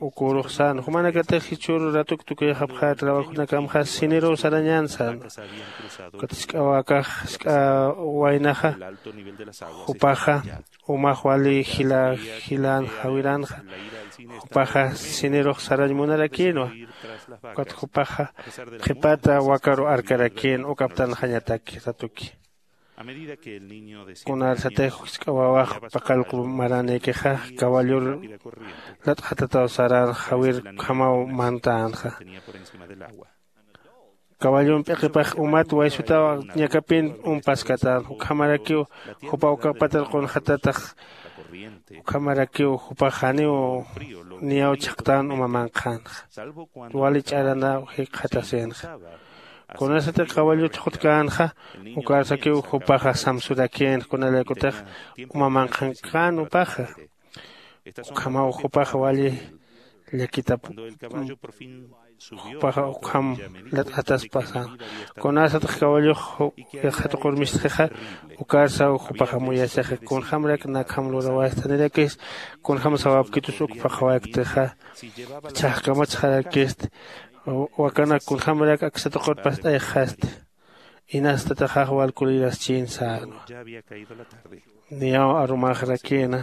Ukürux sän jumanakatix jichhüru ratuk tukuyxapxä trabajonakamxa siniruw sarañän sän. Ukat jisk'a wakax jisk'a waynaxa jupaxa umax wali jila jilän jawiränxa. Jupaxa sinirux sarañ munarakïnwa. Ukat jupaxa qhipata wakaru arkarakïn uk aptanxañataki ratuki. Kunarsatix jisk'a wawax paqallq maranïkixa kawallur lat'xatataw sarän jawir ukhamaw mantänxa. Kawallun p'iqipax umat waysutaw ñakapin umpaskatän ukhamarakiw jupa uka patar qunxatatax. Ukhamarakiw jupax janiw niyaw chhaqtän uma manqhänxa. Wali ch'aranaw jikxatasïnxa. Kunasatix kawallut jutkänxa ukarsakiw jupaxa samsurakïnxa kunalaykutix uma manqhankän upaxa. Ukhamaw jupaxa wali llakitap jupaxa ukham lat'ataspa sän. Kunasatix kawallux yaqha tuqur mistxixa ukarsaw jupax amuyasixi kunjämarak nakham lurawaystanirakisti kunjäm sawapkitus uk phuqhawayktxa. Chhajkamatxarakisti Wakanak kunjämarak aksa tuqut past'ayxasti. Inastataxax wal kuliraschïn sänwa. Niyaw arumaxarakïna.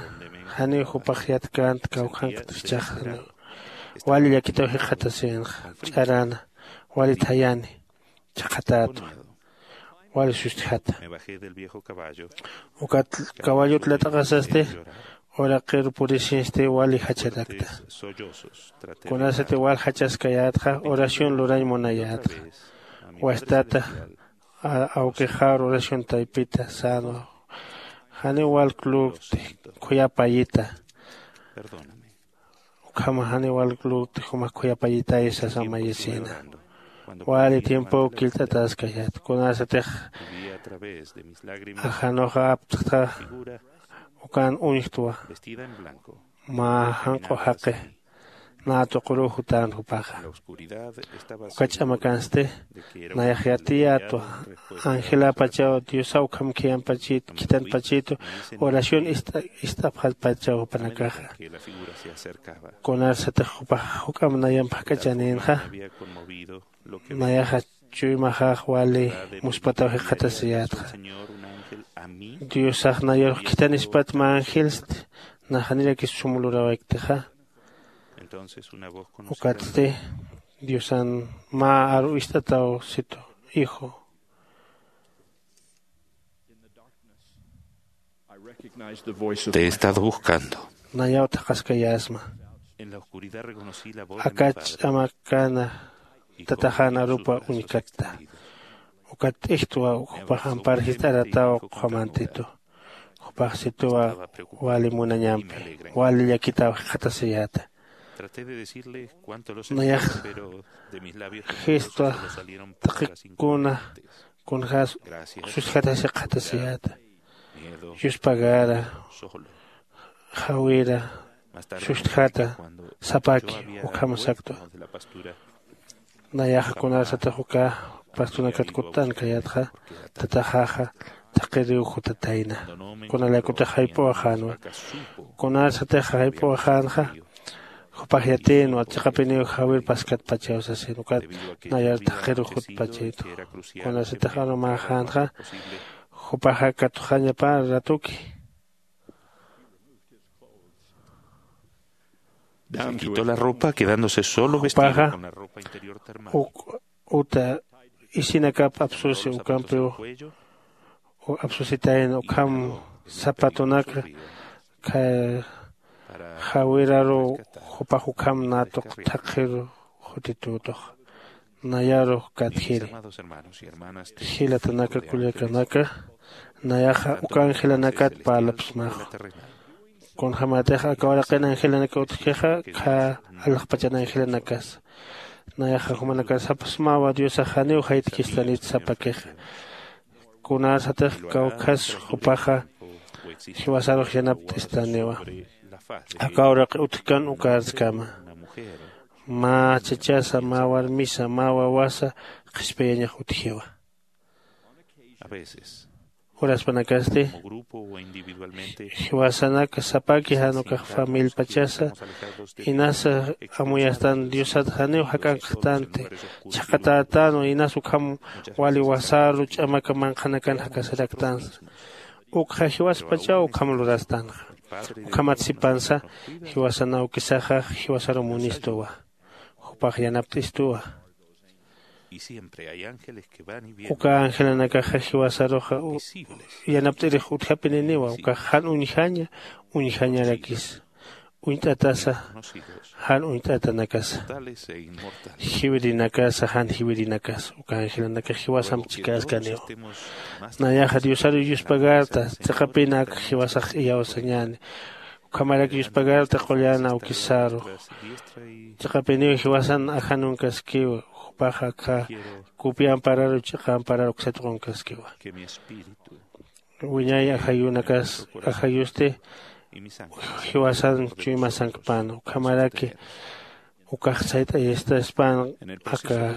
Janiw jupax yatkänti kawkhankt jichhax. Wali llakitaw jikxatasïnxa. Ch'arana. Wali thayani. Chhaqhatätwa. Wali sustjata. Ukat kawallut lat'aqasasti. Uraqir purisinsti wali jacharakta. Kunasati wal jachaskayätxa oración lurañ munayätxa. Wastata awkixar oración taypita sänwa. Janiw wal lurkti. Khuyapayita. Ukhama janiw wal lurkti jumax khuyapayitay sasa mayisïna. Wali tiempow killt'ataskayät kunasatix ajanuxa aptxta. Ukan uñjtwa. Mä janq'u jaqi nä tuquruw jutän jupaxa. Uka ch'amakansti nayax yatiyätwa. Angeläpachaw diosaw ukham khiyanpachïtu khitanpachïtu oración ist'apxalpachaw jupanakaxa. Kunarsatix jupax juk'amp nayamp jak'achanïnxa. Nayaxa chuymaxax wali muspataw jikxatasiyätxa. Diosax nayarux khithanispat mä angelsti. Nax janirakis sum lurawayktxa. Ukatsti diosan mä aru ist'ataw situ hijo. Te he estado buscando. Nayaw thaqhaskayäsma. Aka ch'amakana tataxan arupa uñkatta. Ukat t'ijtwa jupax ampar jist'arataw qhumantitu. Jupax situwa wali munañampi wali llakitaw jikxatasiyäta. Nayax jistwa taqikuna kunjäs sustjatasi qhatasiyäta. Yuspagara jawira sustjata sapaki ukham saktwa. Nayaxa kunarsatix uka pastunakat kutt'ankayätxa tataxaxa thaqiriw jutatayna. Kunalaykutix jayp'uwaxänwa. Kunarsatix jayp'uwaxänxa jupax yatïnwa chiqapiniw jawir paskatpachaw sasin ukat nayar thaqiriw jutpachïtwa. Kunarsatix arumäxänxa jupaxa katuxañapa ratuki. Se quitó la ropa quedándose solo vestido con la ropa interior termal. Uta isinakap apsusi ukampiw apsusitayna ukham zapatonaka jawiraruw jupax ukham natuq thaqhir jutitütux. Nayarux katjiri. Jilatanaka kullakanaka nayaxa uka angelanakat parlapsmax. Kunjämatix aka uraqin angelanaka utjkixa khä alaxpachan angelanakasa. Nayaxa jumanakan sapxsmawa diosax janiw jaytkistanit sapakixa. Kunarsatix kawkhas jupaxa jiwasarux yanapt'istaniwa. Aka uraqi utjkan ukarskama. Mä chachasa mä warmisa mä wawasa qhispiyañax utjiwa. Uraspanakasti jiwasanaka sapaki jan ukax familpachasa inasa amuyastan diosat janiw jak'ankxtanti. Chhaqatätänwa inas ukham wali wasaru ch'amaka manqhanakan jakasaraktansa. Ukxa jiwaspachaw ukham lurastanxa. Ukhamat sipansa jiwasan awkisaxa jiwasaru munistuwa. Jupax yanapt'istuwa. Uka angelanakaxa jiwasaruxa yanapt'irix utjapininiwa ukax jan uñjaña uñjañarakis. Uñt'atasa jan uñt'atanakasa jiwirinakasa jan jiwirinakasa uka angelanakax jiwasamp chikäskaniwa. Nayaxa diosaru yuspagarta chiqapina ak jiwasax iyawsañäni. Ukhamarak yuspagarta qullan awkisaru. Chiqapiniw jiwasan ajanunkaskiwa jupax akha kupi ampararu ch'iqa ampararu uksat qunkaskiwa. Wiñay ajayunakas ajayusti jiwasan chuymasankpan ukhamaraki ukax sayt'ayastaspan aka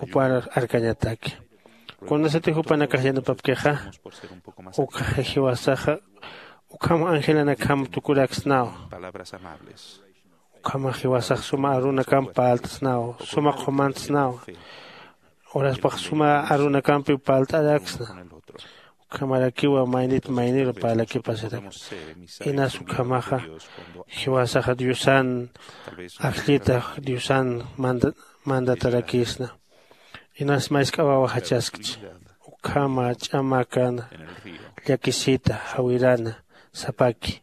jupar arkañataki. Kunasati jupanakax yanapapkixa ukxa jiwasaxa ukham angelanakjam tukuraksnaw. Ukhama jiwasax suma arunakamp parlt'snaw, suma qhumantsnaw. Uraspax suma arunakampiw parlt'araksna. Ukhamarakiwa maynit mayniru parlakipasirak. Inas ukhamaxa jiwasaxa Diosan ajllita, Diosan manda-, mandatarakisna. Inas mask'a wawa jachaskchi. Ukhama ch'amakana, llakisita, jawirana, sapaki.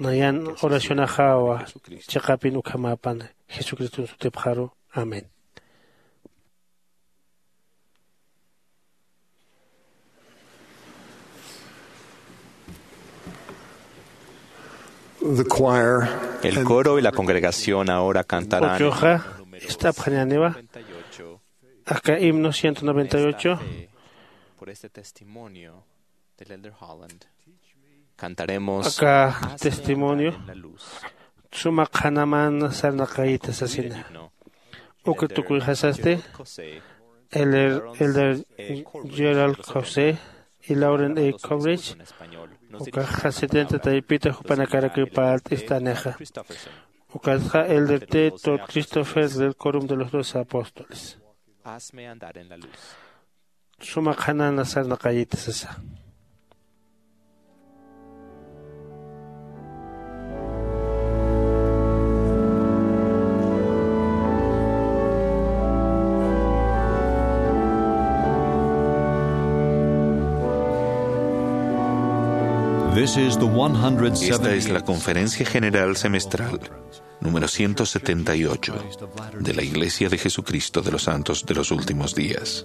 Nayan oracionaxawa chiqapin ukhamäpan Jesucriston sutipxaru. Amén. The choir El and coro y la congregación ahora cantarán. Uchuxa ist'apxañäniwa aka himno ciento noventa y ocho. Por este testimonio del Elder Holland. Cantaremos aka testimonio suma qhanaman sarnaqayta sasina. Uka tukuyxasasti Elder, Elder Gerald José y Lauren A. Coverage, ukaxa setenta taypita jupanakarakiw parlt'istanixa. Ukatxa Elder T. Todd Christopher del Quórum de los Doce Apóstoles. Hazme andar en la luz. Suma qhanana sarnaqayita sasa. This is the one hundred seventy. Esta es la Conferencia General Semestral número ciento setenta y ocho de la Iglesia de Jesucristo de los Santos de los Últimos Días.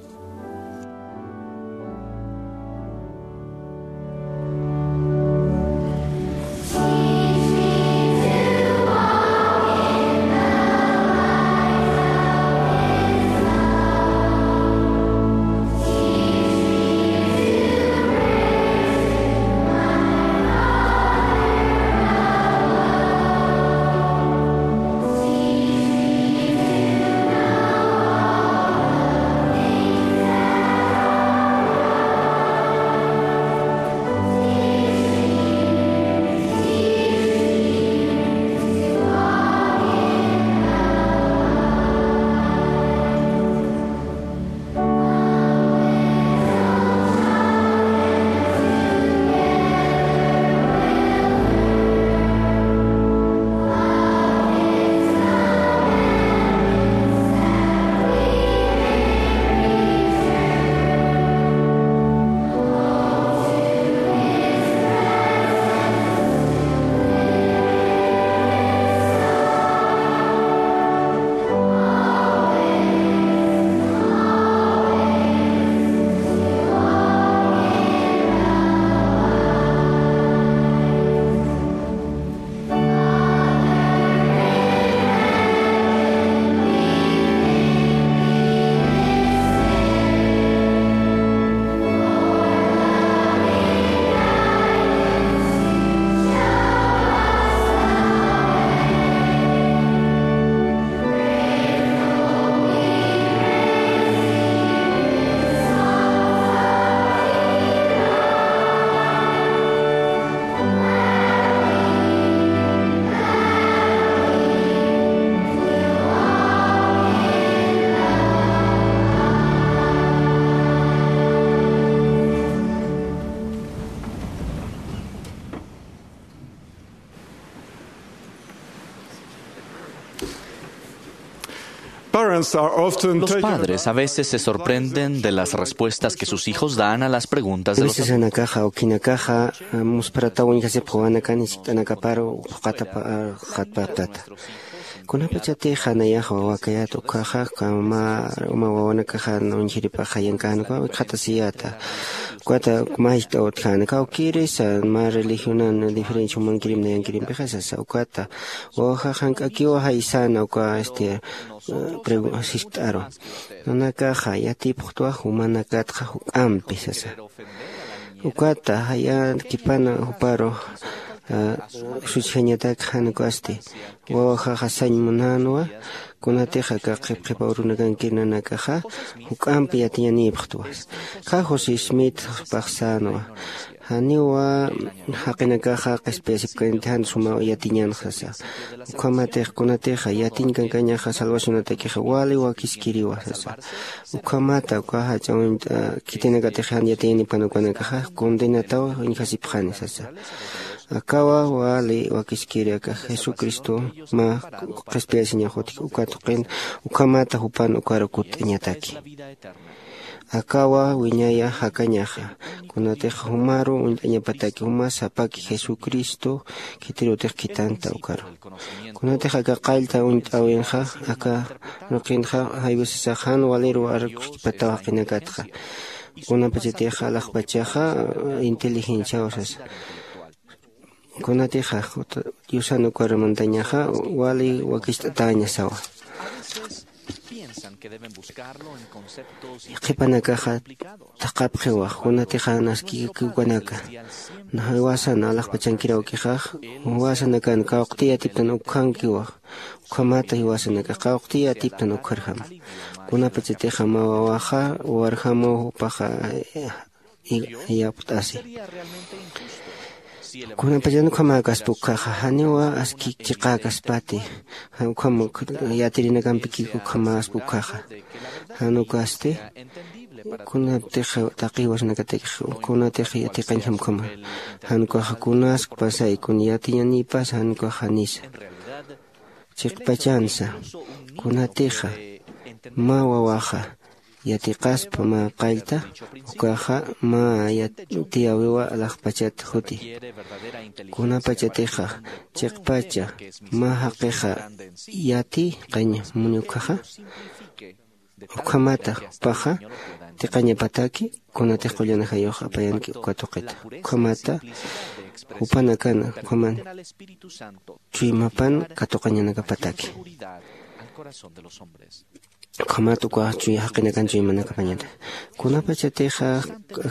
Parents are often Los taken padres a veces se sorprenden de las respuestas que sus hijos dan a las preguntas de los adultos. Ulisas anakaxa, ukhinakaxa, ah, muspharataw uñjasipxi wawanakan jiskt'anakaparu, phuqatapa, ah, qhatpaptata. Kunapachatix nayax wawakayät ukhaxa, kama, uma wawanakaxa uñjiripax jayankän, uka wikxatasiyäta. Ukata mä jiskt'aw utjäna, kawkïrisa, mä religionan diferencia jumankirim nayankirimpixi sasa, ukata. Wawaxax jank'akiwa jaysäna uka, este, eh, pregu-, jiskt'aru. Nanakaxa yatipxtwa jumanakatxa juk'ampi sasa. Ukata jayäkipana juparu, Suchjañatak jan ukasti wawajaxa sañ munänwa. Kunatix aka qhipqhipaw runakankir nanakaxa juk'ampi yatiñanïpxtwa. Kha josé smith paxsänwa. Janiwa jaqinakaxa qhispiyasipkanti jan suma yatiñanxa sasa. Ukhamatix kunatixa yatiñ kankañaxa salvacionatakixa wali wakiskiriwa sasa. Ukhamata uka jach'a uñt'a khitinakatix jan yatiñanipkan ukanakaxa condenataw uñjasipxani sasa. Akawa wali wakiskiri aka jesucristo mä qhispiyasiñax utji uka tuqin. Ukhamata jupan ukar kutt'añataki. Akawa wiñaya jakañaxa kunatix jumaru uñt'añapataki juma sapaki jesucristo khitirutix khitanta ukaru. Kunatix aka qallta uñt'äwinxa aka nuqinxa jaywisasax jan waliru arkuskipataw jaqinakatxa. Kunapachatixa alaxpachaxa inteligenciaw sasa. Kunatixa diosan ukar mantañaxa wali wakicht'atäña sawa. Qhipanakaxa thaqhapxiwa kunatixa naskiki ukanaka jiwasan alaxpachankir awkixax jiwasanakan kawqti yatiptan ukkhankiwa. Ukhamata jiwasanakax kawqti yatiptan ukkharjama. Kunapachatixa mä wawaxa warjamaw jupaxa yapt'asi. Kunapachan ukhamäkaspa ukkhaxa janiwa aski chiqäkaspati. Ukham yatirinakampikiku ukhamäspa ukkhaxa jan ukasti. Kunatix taqi jiwasanakatakix kunatix yatiqañjam ukhama jan ukaxa kunaskpasay kun yatiñanïpas jan ukaxa janisa. Chiqpachansa kunatixa mä wawaxa yatiqaspa mä qallta ukaxa mä yatiyäwiwa alaxpachat juti. Kunapachatixa chiqpacha mä jaqixa yatiqañ muni ukkhaxa ukhamata jupaxa tiqañapataki kunatix qullan ajayux apayanki uka tuqita. Ukhamata jupanakana ukhaman chuymapan katuqañanakapataki. Ukhamat uka chuy jaqinakan chuymanakapañata kunapachatixa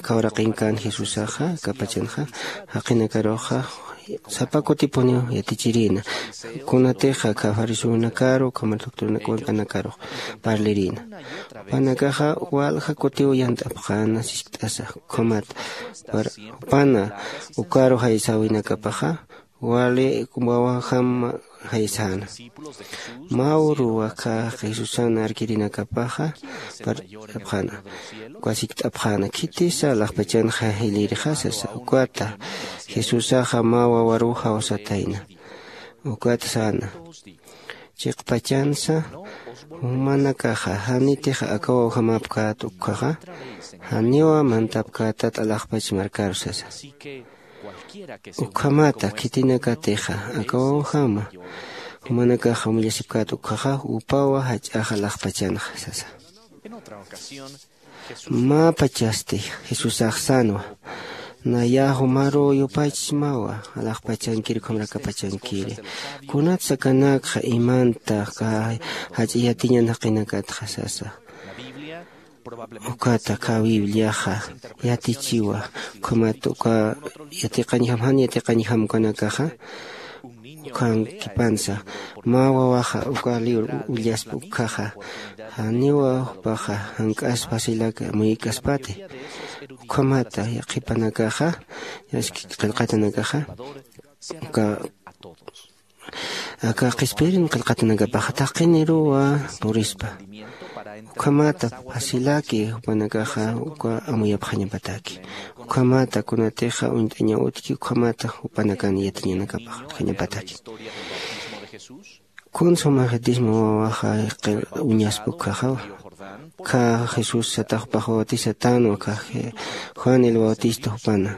kawraqinkan jesusaxa kapachanxa jaqinakaruxa sapa kutipuniw yatichirïna. Kunatixa kha fariseonakaru ukhama doctrinaka uñt'anakarux parlirïna. Jupanakaxa walja kutiw yant'apxäna siskt'asa ukhamat jupana ukaru jaysäwinakapaxa wali wawajam jaysäna. Mä uruwa kha jesusan arkirinakapaxa parlt'apxäna uka sikt'apxäna khitisa alaxpachanxa jilïrixasasa ukata jesusaxa mä wawaruw jawsatayna. Ukat säna chiqpachansa jumanakaxa janitix aka wawjamapkät ukkhaxa janiwa mantapkätat alaxpach markaru sasa. Ukhamata khitinakatixa aka wawjama jumanakaxa umillasipkät ukkhaxa upawa jach'ax alaxpachanxa sasa. Mä pachasti jesusax sänwa naya jumaru yupachsmawa alaxpachankir ukhamrakapachankiri. Kunatsa kanakxa imanta kä jach'a yatiñan jaqinakatxa sasa. Ukata kä bibliaxa yatichiwa ukhamat uka yatiqañjam jan yatiqañjam ukanakaxa ukhankipansa mä wawaxa uka liwr ullaspa ukkhaxa janiwa jupaxa jank'aspa silak amuykaspati. Ukhamata qhipanakaxa qillqatanakaxa uka aka qhispirin qillqatanakapaxa taqiniruwa purispa. Ukhamata facilaki jupanakaxa uka amuyapxañapataki. Ukhamata kunatixa uñt'aña utki ukhamata jupanakan yatiñanakapax utjañapataki. Kun suma jetisma wawaxa uñaspa ukkhaxawa kha jesús sataxpax bautisatänwa kha juan el bautista jupana.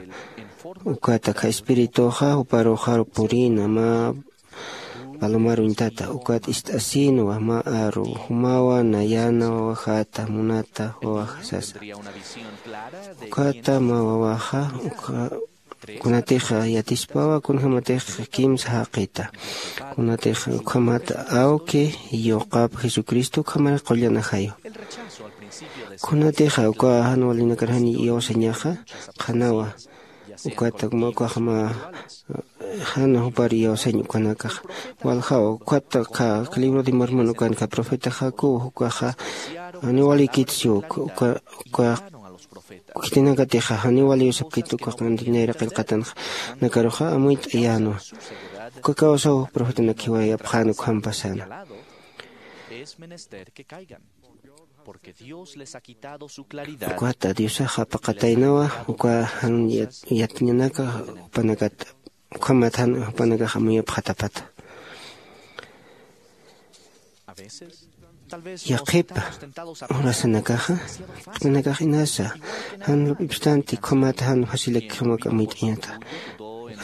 Ukata kha espirituxa juparuxaru purïna mä palomaruñtata ukat ist'asïnwa mä aru jumawa nayana wawajäta munata wawaja sasa. Ukata mä wawaja kunatixa yatispawa kunjämatix kimsa jaqita kunatix ukhamata awki yuqap jesucristo ukhamar qullan ajayu. Kunatixa uka jan walinakar jan iyawsañaxa qhanawa ukata mä ukaxma Jan jupar iyawsañ ukanakax waljaw ukat ka libro de Mormon ukanka profeta Jacob ukaxa niwalïkit siw uka uka khitinakatixa janiw wali usapkit uka qantinayra qillqatanxa nakaruxa amuyt'ayänwa. Uka kawsaw profetanakjiwayapxän ukhampasana. Ukat diosaxa paqataynawa uka jan yatiñanaka jupanakat ukhamat jan jupanakax amuyapxatapata. Yaqhipa urasanakaxa qhipanakax inasa jan lup'ipstanti ukhamat jan facilakjimak amuyt'añata.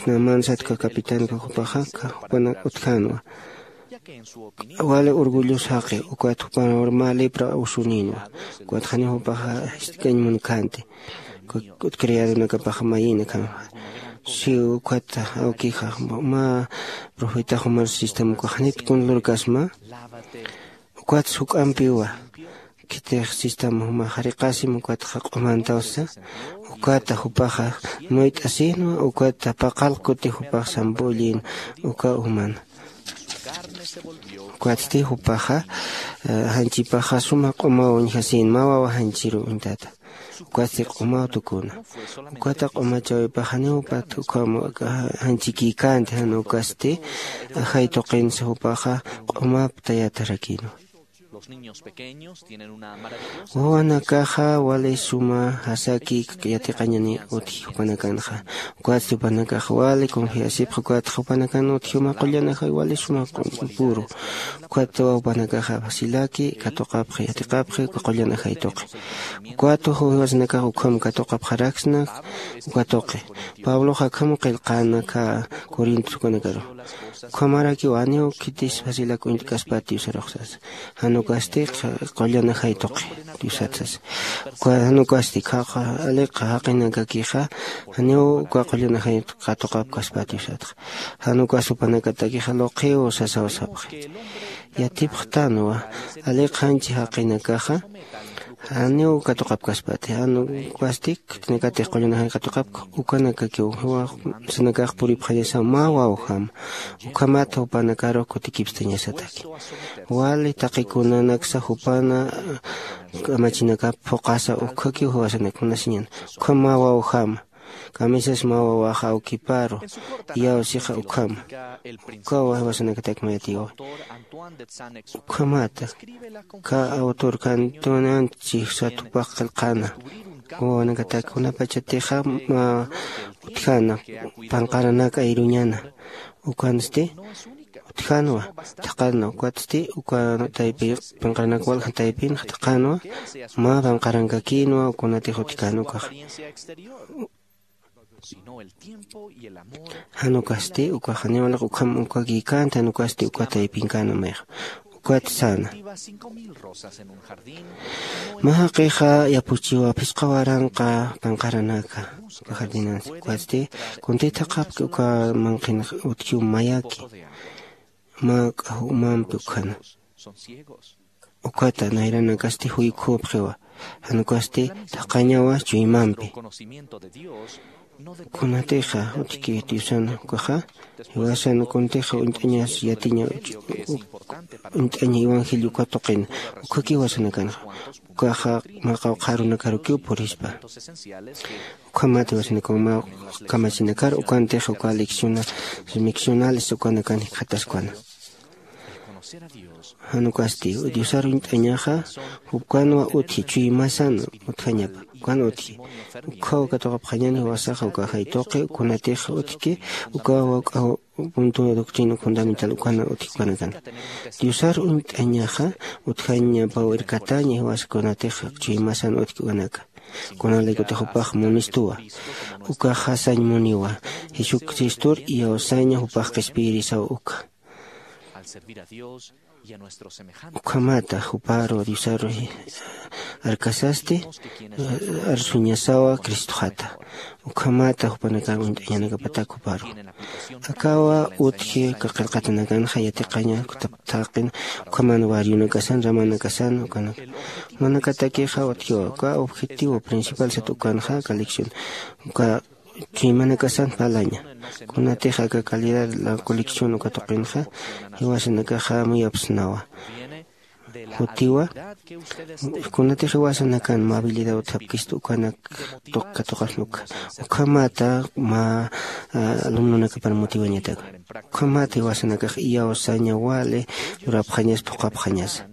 Naman satka capitanka jupaxa jupanak utjänwa. Wali orgullos jaqi ukat jupanwar mä lepra usuninwa. Ukat janiw jupaxa jiskt'kañ munkänti. Ukat criadonakapaxa mayïnakhanxa siw ukat awkixa mä profetax jumar sistam ukax janit kun lurkasma. Ukat juk'ampiwa khitix sistam juma jariqasim ukat jaq'umantawsa. Ukat jupaxa muyt'asinwa ukat paqal kuti jupax sampullin uka umana. Ukatsti jupaxa janchipaxa suma q'umaw uñjasin mä wawa janchiru uñtata. Ukatsti q'umaw tukuna. Ukata q'umachäwipaxa janiw jupat ukham janchikïkänti jan ukasti ajay tuqinsa jupaxa q'umap tayatarakïnwa. Wawanakaxa wali suma jasaki yatiqañani utji jupanakanxa. Ukatsti jupanakax wali confiasipxa ukat jupanakan utji juma qullan ajay wali suma puru. Ukat jupanakaxa facilaki katuqapxi yatiqapxi uka qullan ajay tuqi. Ukat jiwasanakax ukham katuqapxaraksna uka tuqi. Pabloxa akham qillqäna corinto jupanakaru. Ukhamarakiw janiw khitis facilak uñt'kaspat diosarux sasa. Jan ukasti qullan ajay tuqi diosat sasa. Jan ukasti khaqha aliqha jaqinakakixa janiw uka qullan ajay katuqapkaspat diosatxa. Jan ukas jupanakatakixa luqiw sasaw sapxi. Yatipxtanwa aliqha janchi jaqinakaxa janiw katuqapkaspati jan ukasti khitinakatix qullan ajay katuqapka. Ukanakakiw jiwasanakax puripxañasaw mä wawjama. Ukhamat jupanakaru kutikipstañasataki. Wali taqikunanaksa jupana kamachinakap phuqasa ukkhakiw jiwasanak munasiñan. Ukham mä wawjama kamisas mä wawaxa awkiparu iyawsixa ukhama. Ukaw jiwasanakatak mayatiwa. Ukhamata ka autor kantunan chijsat jupax qillqäna wawanakatak kunapachatixa mä utjäna panqaranak ayruñana. Ukansti utjänwa thaqhanwa ukatsti uka taypi panqaranak walja taypinxa thaqhanwa mä panqarankakïnwa kunatix utjkän ukaxa. Jan ukasti ukaxa niwalaq ukham ukakïkänti jan ukasti uka taypinkänwa mayxa. Ukat säna mä jaqixa yapuchiwa phisqa waranqa panqaranaka uka jardinansi ukatsti kuntï thaqhapki uka manqhin utjiw mayaki mä k'aw umampi ukhana. Ukata nayranakasti juykhupxiwa jan ukasti thaqhañawa chuymampi. Kunatixa utjki diosan ukaxa jiwasan kuntixa uñt'añas yatiña uñt'aña evangelio uka tuqina ukhaki jiwasanakanxa. Ukaxa mä qawqha arunakarukiw purispa. Ukhamat jiwasanakaw mä kamachinakar ukantixa uka lecciona leccionales ukanakan jikxataskwana. Jan ukasti diosar uñt'añaxa jupkanwa utji chuymasan utjañapa ukan utji. Ukkhaw katuqapxañan jiwasaxa uka jay tuqi ukunatix utjki ukaw k'aw punto doctrina fundamental ukana utji ukanakan. Diosar uñt'añaxa utjañapaw irkataña jiwasakunatix chuymasan utjki ukanaka. Kunalaykutix jupax munistuwa ukaxa sañ muniwa jesucristor iyawsaña jupax qhispiyirisaw uka. Ukhamata juparu diosaru arkasasti arsuñasawa cristoxata. Ukhamata jupanakan uñt'añanakapatak juparu akawa utji qillqatanakanxa yatiqaña thaqin ukhaman barrionakasan ramanakasan ukanaka. Jumanakatakixa utjiwa uka objetivo principal sat ukanxa aka lección uka chuymanakasan parlaña. Kunatix aka calidad la colección uka tuqinxa jiwasanakaxa muyapsnawa. Jutiwa, kunatix jiwasanakan mabilidad utjapkista ukanak tuq katuqasnuka. Ukhamata mä alumnunakapan motiwañatak. Ukhamata jiwasanakax iyawsaña wali lurapxañas phuqhapxañasa.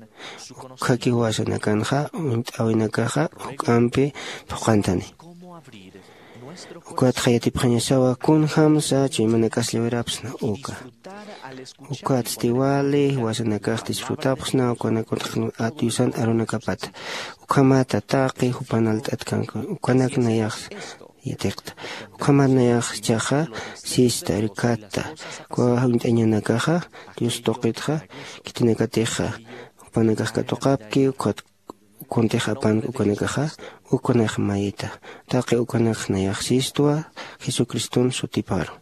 Ukhaki jiwasanakanxa uñt'äwinakaxa juk'ampi phuqhantani. Ukatxa yatipxañasawa kunjamsa chuymanakas llawirapxsna uka. Ukatsti wali jiwasanakax disfrutapxsna ukanak utjkna diosan arunakapata. Ukhamata taqi jupan alt'atkanku ukanak nayax yatiqta. Ukhamat nayax ichaxa sista rikhatta. Uka uñt'añanakaxa dios tuqitxa khitinakatixa jupanakax katuqapki. Ukhat kuntix apanki ukanakaxa ukanak mayita. Taqi ukanak nayax sistwa jesucriston sutiparu.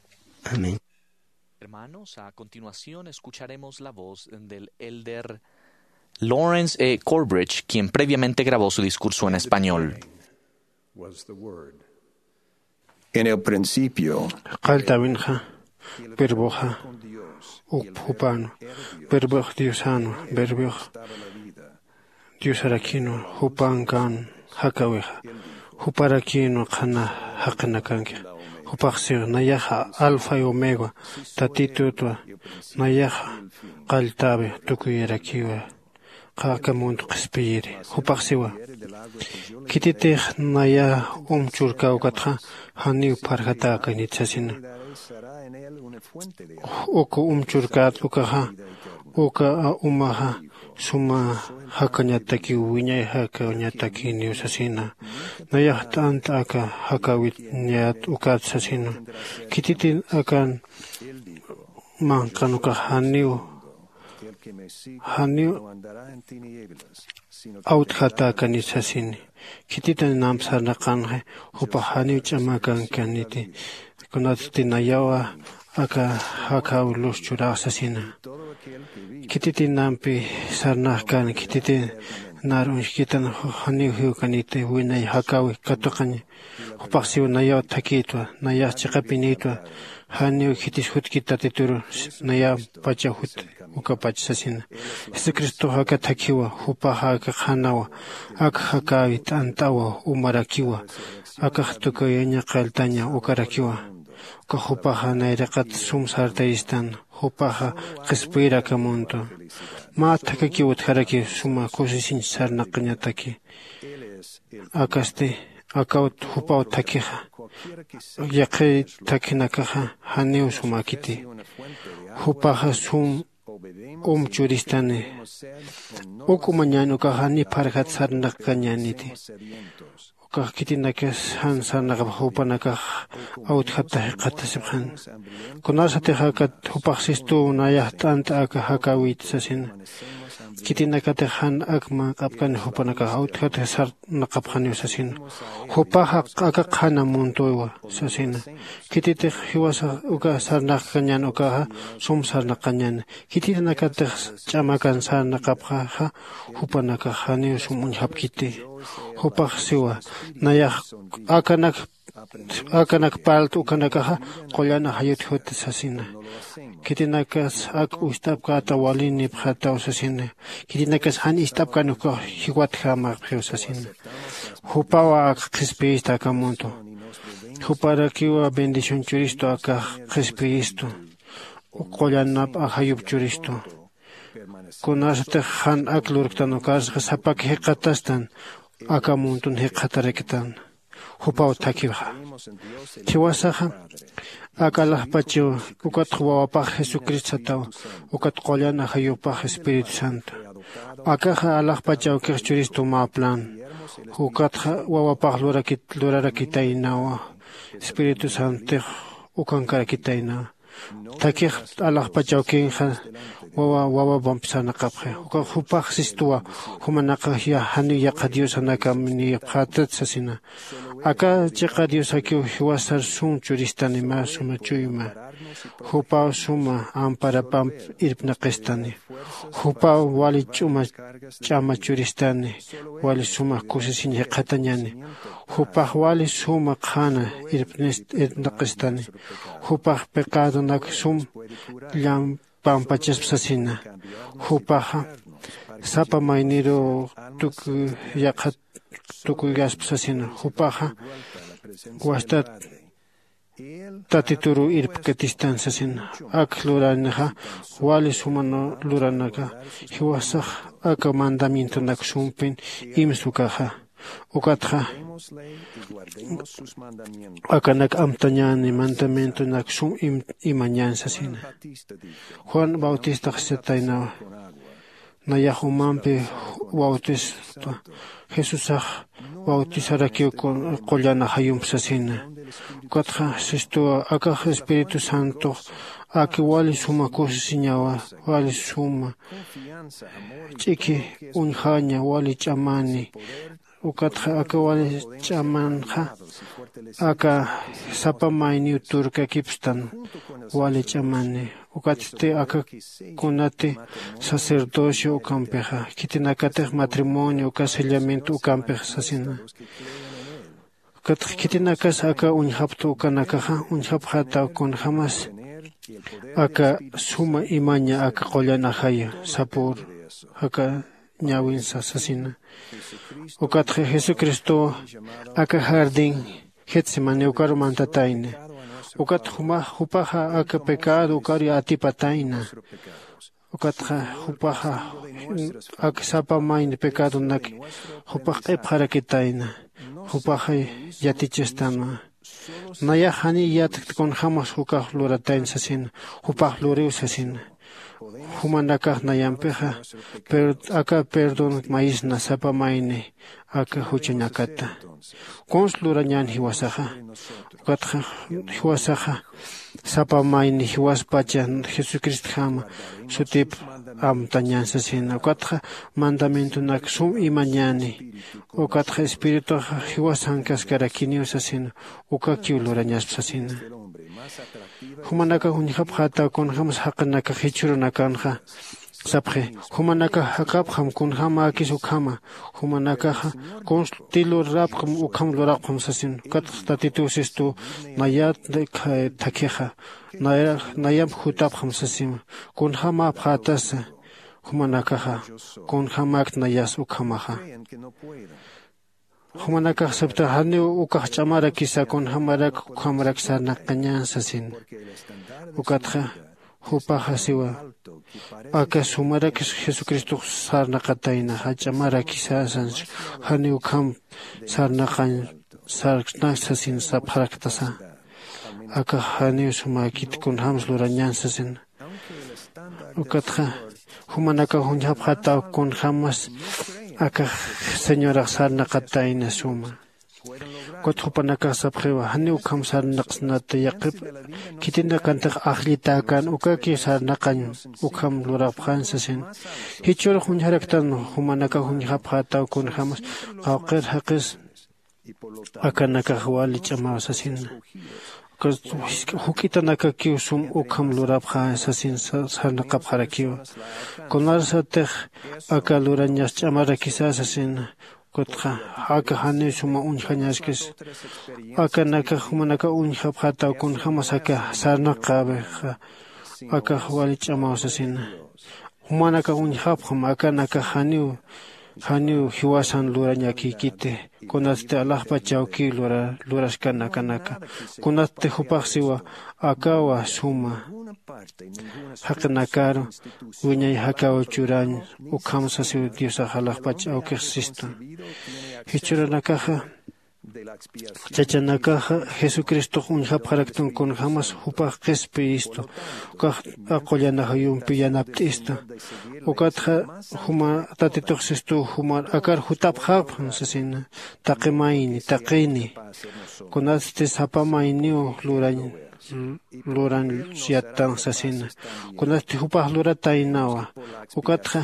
Amén. Hermanos, a continuación escucharemos la voz del elder Lawrence E. Corbridge, quien previamente grabó su discurso en español. En el principio, qalltäwinxa, verboxa jupanwa. Verbox diosanwa. Verbox diosarakïnwa. Jupankan jakäwixa. Juparakïnwa qhana jaqinakankix. Jupax siwa nayaxa alfa y omega, tatitutwa. Nayaxa qalltäwi tukuyarakiwa. Qhaka munt qhispiyiri. Jupax siwa, khititix naya um churkä ukatxa janiw pharjatäkanit sasina. Uka um churkät ukaxa uka umaxa suma jakañatakiw wiñay jakañatakiniw sasina. Nayax t'ant'a aka jakäwit niyät ukat sasina. Khititin akan manqan ukax janiw janiw awtjatäkanit sasini. Khititan namp sarnaqanxi jupax janiw ch'amakankaniti. Kunatsti nayawa aka jakäw lus churax sasina. Khititin nampi sarnaxkan khititin nar uñjkitan janiw jiwkaniti winay jakäwi katuqaña. Jupax siw nayaw thakïtwa. Nayax chiqapinïtwa. Janiw khitis jutkit tatituru. Nayampachaw jut ukapach sasina. Jesucristox aka thakhiwa. Jupaxa aka qhanawa. Aka jakäwi t'ant'awa umarakiwa. Akax tukuyaña qalltaña ukarakiwa. Ukax jupaxa nayraqat sum sartayistan. Jupaxa qhispiyir aka muntwa. Mä thakhakiw utjaraki suma kusisiñ sarnaqañataki. Akasti akaw jupaw thakhixa. Yaqhir thakhinakaxa janiw sumäkiti. Jupaxa sum um churistani. Uk umañän ukaxa ni pharjat sarnaqkañäniti. Ukax khitinakas jan sarnaqapx jupanakax awtjata jikxatasipxan. Kunasatix akat jupax sistuw nayax t'ant'a aka jakäwit sasina. Khitinakatix jan ak manq'apkani jupanakax awtjata sarnaqapxaniw sasina. Jupaxa aka qhana muntuwa sasina. Khititix jiwasax uka sarnaqkañän ukaxa sum sarnaqañäni. Khitinakatix ch'amakan sarnaqapxaxa jupanakax janiw sum uñjapkiti. Jupax siwa nayax akanak akanak parlt ukanakaxa qullan ajayut jut sasina. Khitinakas ak ucht'apkäta walinipxataw sasina. Khitinakas jan ist'apkan ukax jiwatjämapxiw sasina. Jupawa ak qhispiyista aka muntwa. Juparakiwa bendición churistu akax qhispiyistu. Qullanap ajayup churistu. Kunasatix jan ak lurktan ukarsaxa sapak jikxatastan. Aka muntun jikxataraktan. Jupaw thakhiwxa. Jiwasaxa ak alaxpachaw ukatx wawapax jesucristo sataw. Ukat qullan ajayupax espíritu santo. Akaxa alaxpachawkix churistu mä plan. Ukatxa wawapax lurarakitaynawa. Espíritu santix ukankarakitaynawa. Thakix alaxpachawkinxa wawa wawapamp sarnaqapxi. Ukax jupax sistuwa. Jumanakax janiw yaqha diosanakam niyapxätat sasina. Aka chiqa diosakiw jiwasar sum churistani mä suma chuyma. Jupaw suma amparapamp irpnaqistani. Jupaw wali ch'uma ch'ama churistani. Wali suma kusisiñ jikxatañani. Jupax wali suma qhana irpnaqistani. Jupax pecadonak sum llampampachasp sasina. Jupaxa sapa mayniru tuku yaqhat tukuygasp sasina. Jupaxa wastat tatituru irpkatistan sasina. Ak luranixa wali sumanu luranaka jiwasax aka mandamientonak sumpin imsukaxa. Ukatxa akanak amtañani mandamientonak sum imañan sasina. Juan bautistaxsataynawa. Nayax umampi bautista jesusax bautisarakiw qullan ajayump sasina. Ukatxa sistuwa akax espíritu santox aki wali suma kusisiñawa. Wali suma ch'iki uñjaña wali ch'amani. Ukatxa aka wali ch'amanxa aka sapa mayniw turkakipstan wali ch'amani. Ukatsti aka kunati sacerdocio ukampixa khitinakatix matrimonio uka sellamiento ukampix sasina. Ukatxa khitinakas aka uñjapta ukanakaxa uñjapxataw kunjämas aka suma imaña aka qullan ajaya sapür aka ñäwinsa sasina. Ukatxa jesucristow aka jardín getsemani ukaru mantatayna. Ukat jumax jupaxa aka pecado ukaru atipatayna. Ukatxa jupaxa ak sapa mayni pecadonak jupax q'ipxarakitayna. Jupaxa yatichastanwa. Nayax janiy yatkt kunjämas ukax luratayna sasina. Jupax luriw sasina. Jumanakax nayampixa aka perdón mayisna sapa mayni aka juchañakata. Kunsa lurañän jiwasaxa? Ukatxa jiwasaxa sapa mayni jiwaspacha jesucristjama sutip amtañän sasina. Ukatxa mandamientonak sum imañäni. Ukatxa espirituxa jiwasankaskarakiniw sasina. Ukakiw lurañasp sasina. Jumanakax uñjapxätaw kunjämas jaqinakax jichhürunakanxa sapxi. Jumanakax jakapxam kunjämäkis ukhama. Jumanakaxa kunsti lurapxam ukham lurapxam sasin. Ukatxa tatituw sistuw nayat thakhixa nayamp jutapxam sasima. Kunjämäpxätasa jumanakaxa kunjämäkt nayas ukhamaxa. Jumanakax saptax janiw ukax ch'amarakisa kunjämarak ukhamarak sarnaqañän sasin. Ukatxa jupaxa siwa aka sumarakis jesucristox sarnaqatayna jach'amarakisa sansi. Janiw ukham sarnaqañ sarnak sasin sapxaraktasa. Akax janiw sumäkit kunjämsa lurañän sasin. Ukatxa jumanakax uñjapxataw kunjämas akax señorax sarnaqatayna suma. Ukat jupanakax sapxiwa janiw ukham sarnaqsnata yaqip khitinakantix ajllitäkän ukaki sarnaqañ ukham lurapxän sasin. Jichhürux uñjaraktan jumanakax uñjapxätaw kunjämas qawqir jaqis akanakax wali ch'amaw sasina. Juk'itanakakiw sum ukham lurapxä sasin sarnaqapxarakiwa. Kunarsatix aka lurañas ch'amarakisa sasina. Ukatxa aka janiw suma uñjañaskis akanakax jumanakax uñjapxätaw kunjämas aka sarnaqäwixa. Akax wali ch'amaw sasina. Jumanakax uñjapxam akanakax janiw janiw jiwasan lurañakïkiti. Kunatsti alaxpach awkiw luraskan akanaka. Kunatsti jupax siwa akawa suma jaqinakaru wiñay jakaw churañ ukham sasiw diosax alaxpach awkix sistu. Jichhürunakaxa chachanakaxa jesucristox uñjapxaraktan kunjämas jupax qhispiyistu. Ukax aqullanajayumpi yanapt'istu. Ukatxa juma tatitux sistuw jumar akar jutapxapxam sasina. Taqi mayni taqini kunatsti sapa mayniw lurañ luran yattan sasina. Kunasti jupax lurataynawa. Ukatxa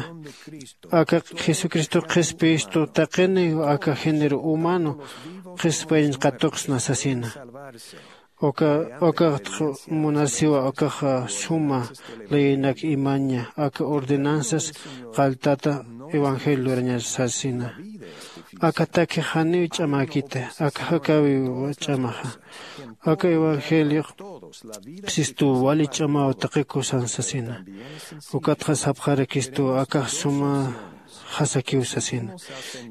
aka jesucristo qhispistu taqini aka género humano qhispayañ qatuqsna sasina. Uka ukaxtx munasiwa ukaxa suma leyinak imaña aka ordenanzas qalltata evangelio lurañar sasina. Aka takix janiw ch'amäkita aka jakäwiw ch'amaxa. Aka evangeliox sistuw wali ch'amaw taqiku san sasina. Ukatxa sapxarakistuw akax suma jasakiw sasina.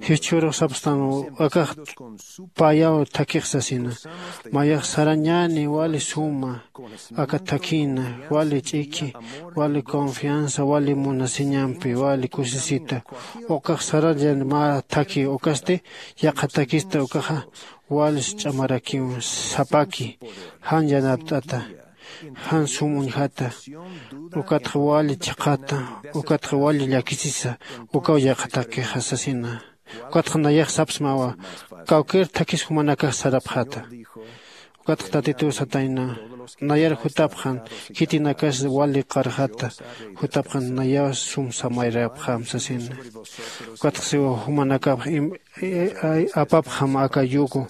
Jichhürux sapstanw akax payaw thakix sasina. Mayax sarañäni wali suma aka thakïna wali ch'iki wali confianza wali munasiñampi wali kusisita ukax sarañäni mä thaki ukasti yaqhatakista ukaxa wali ch'amarakiw sapaki jan yanapt'ata jan sum uñjata ukatxa wali chiqata ukatxa wali llakisisa ukaw yaqhatakixa sasina. Ukatxa nayax sapsmawa kawkir thakis jumanakax sarapxäta. Ukatxa tatituw satayna nayar jutapxan khitinakas wali qarxata jutapxan nayaw sum samayrapxam sasina. Ukatxa siwa jumanakax apapxam aka yugo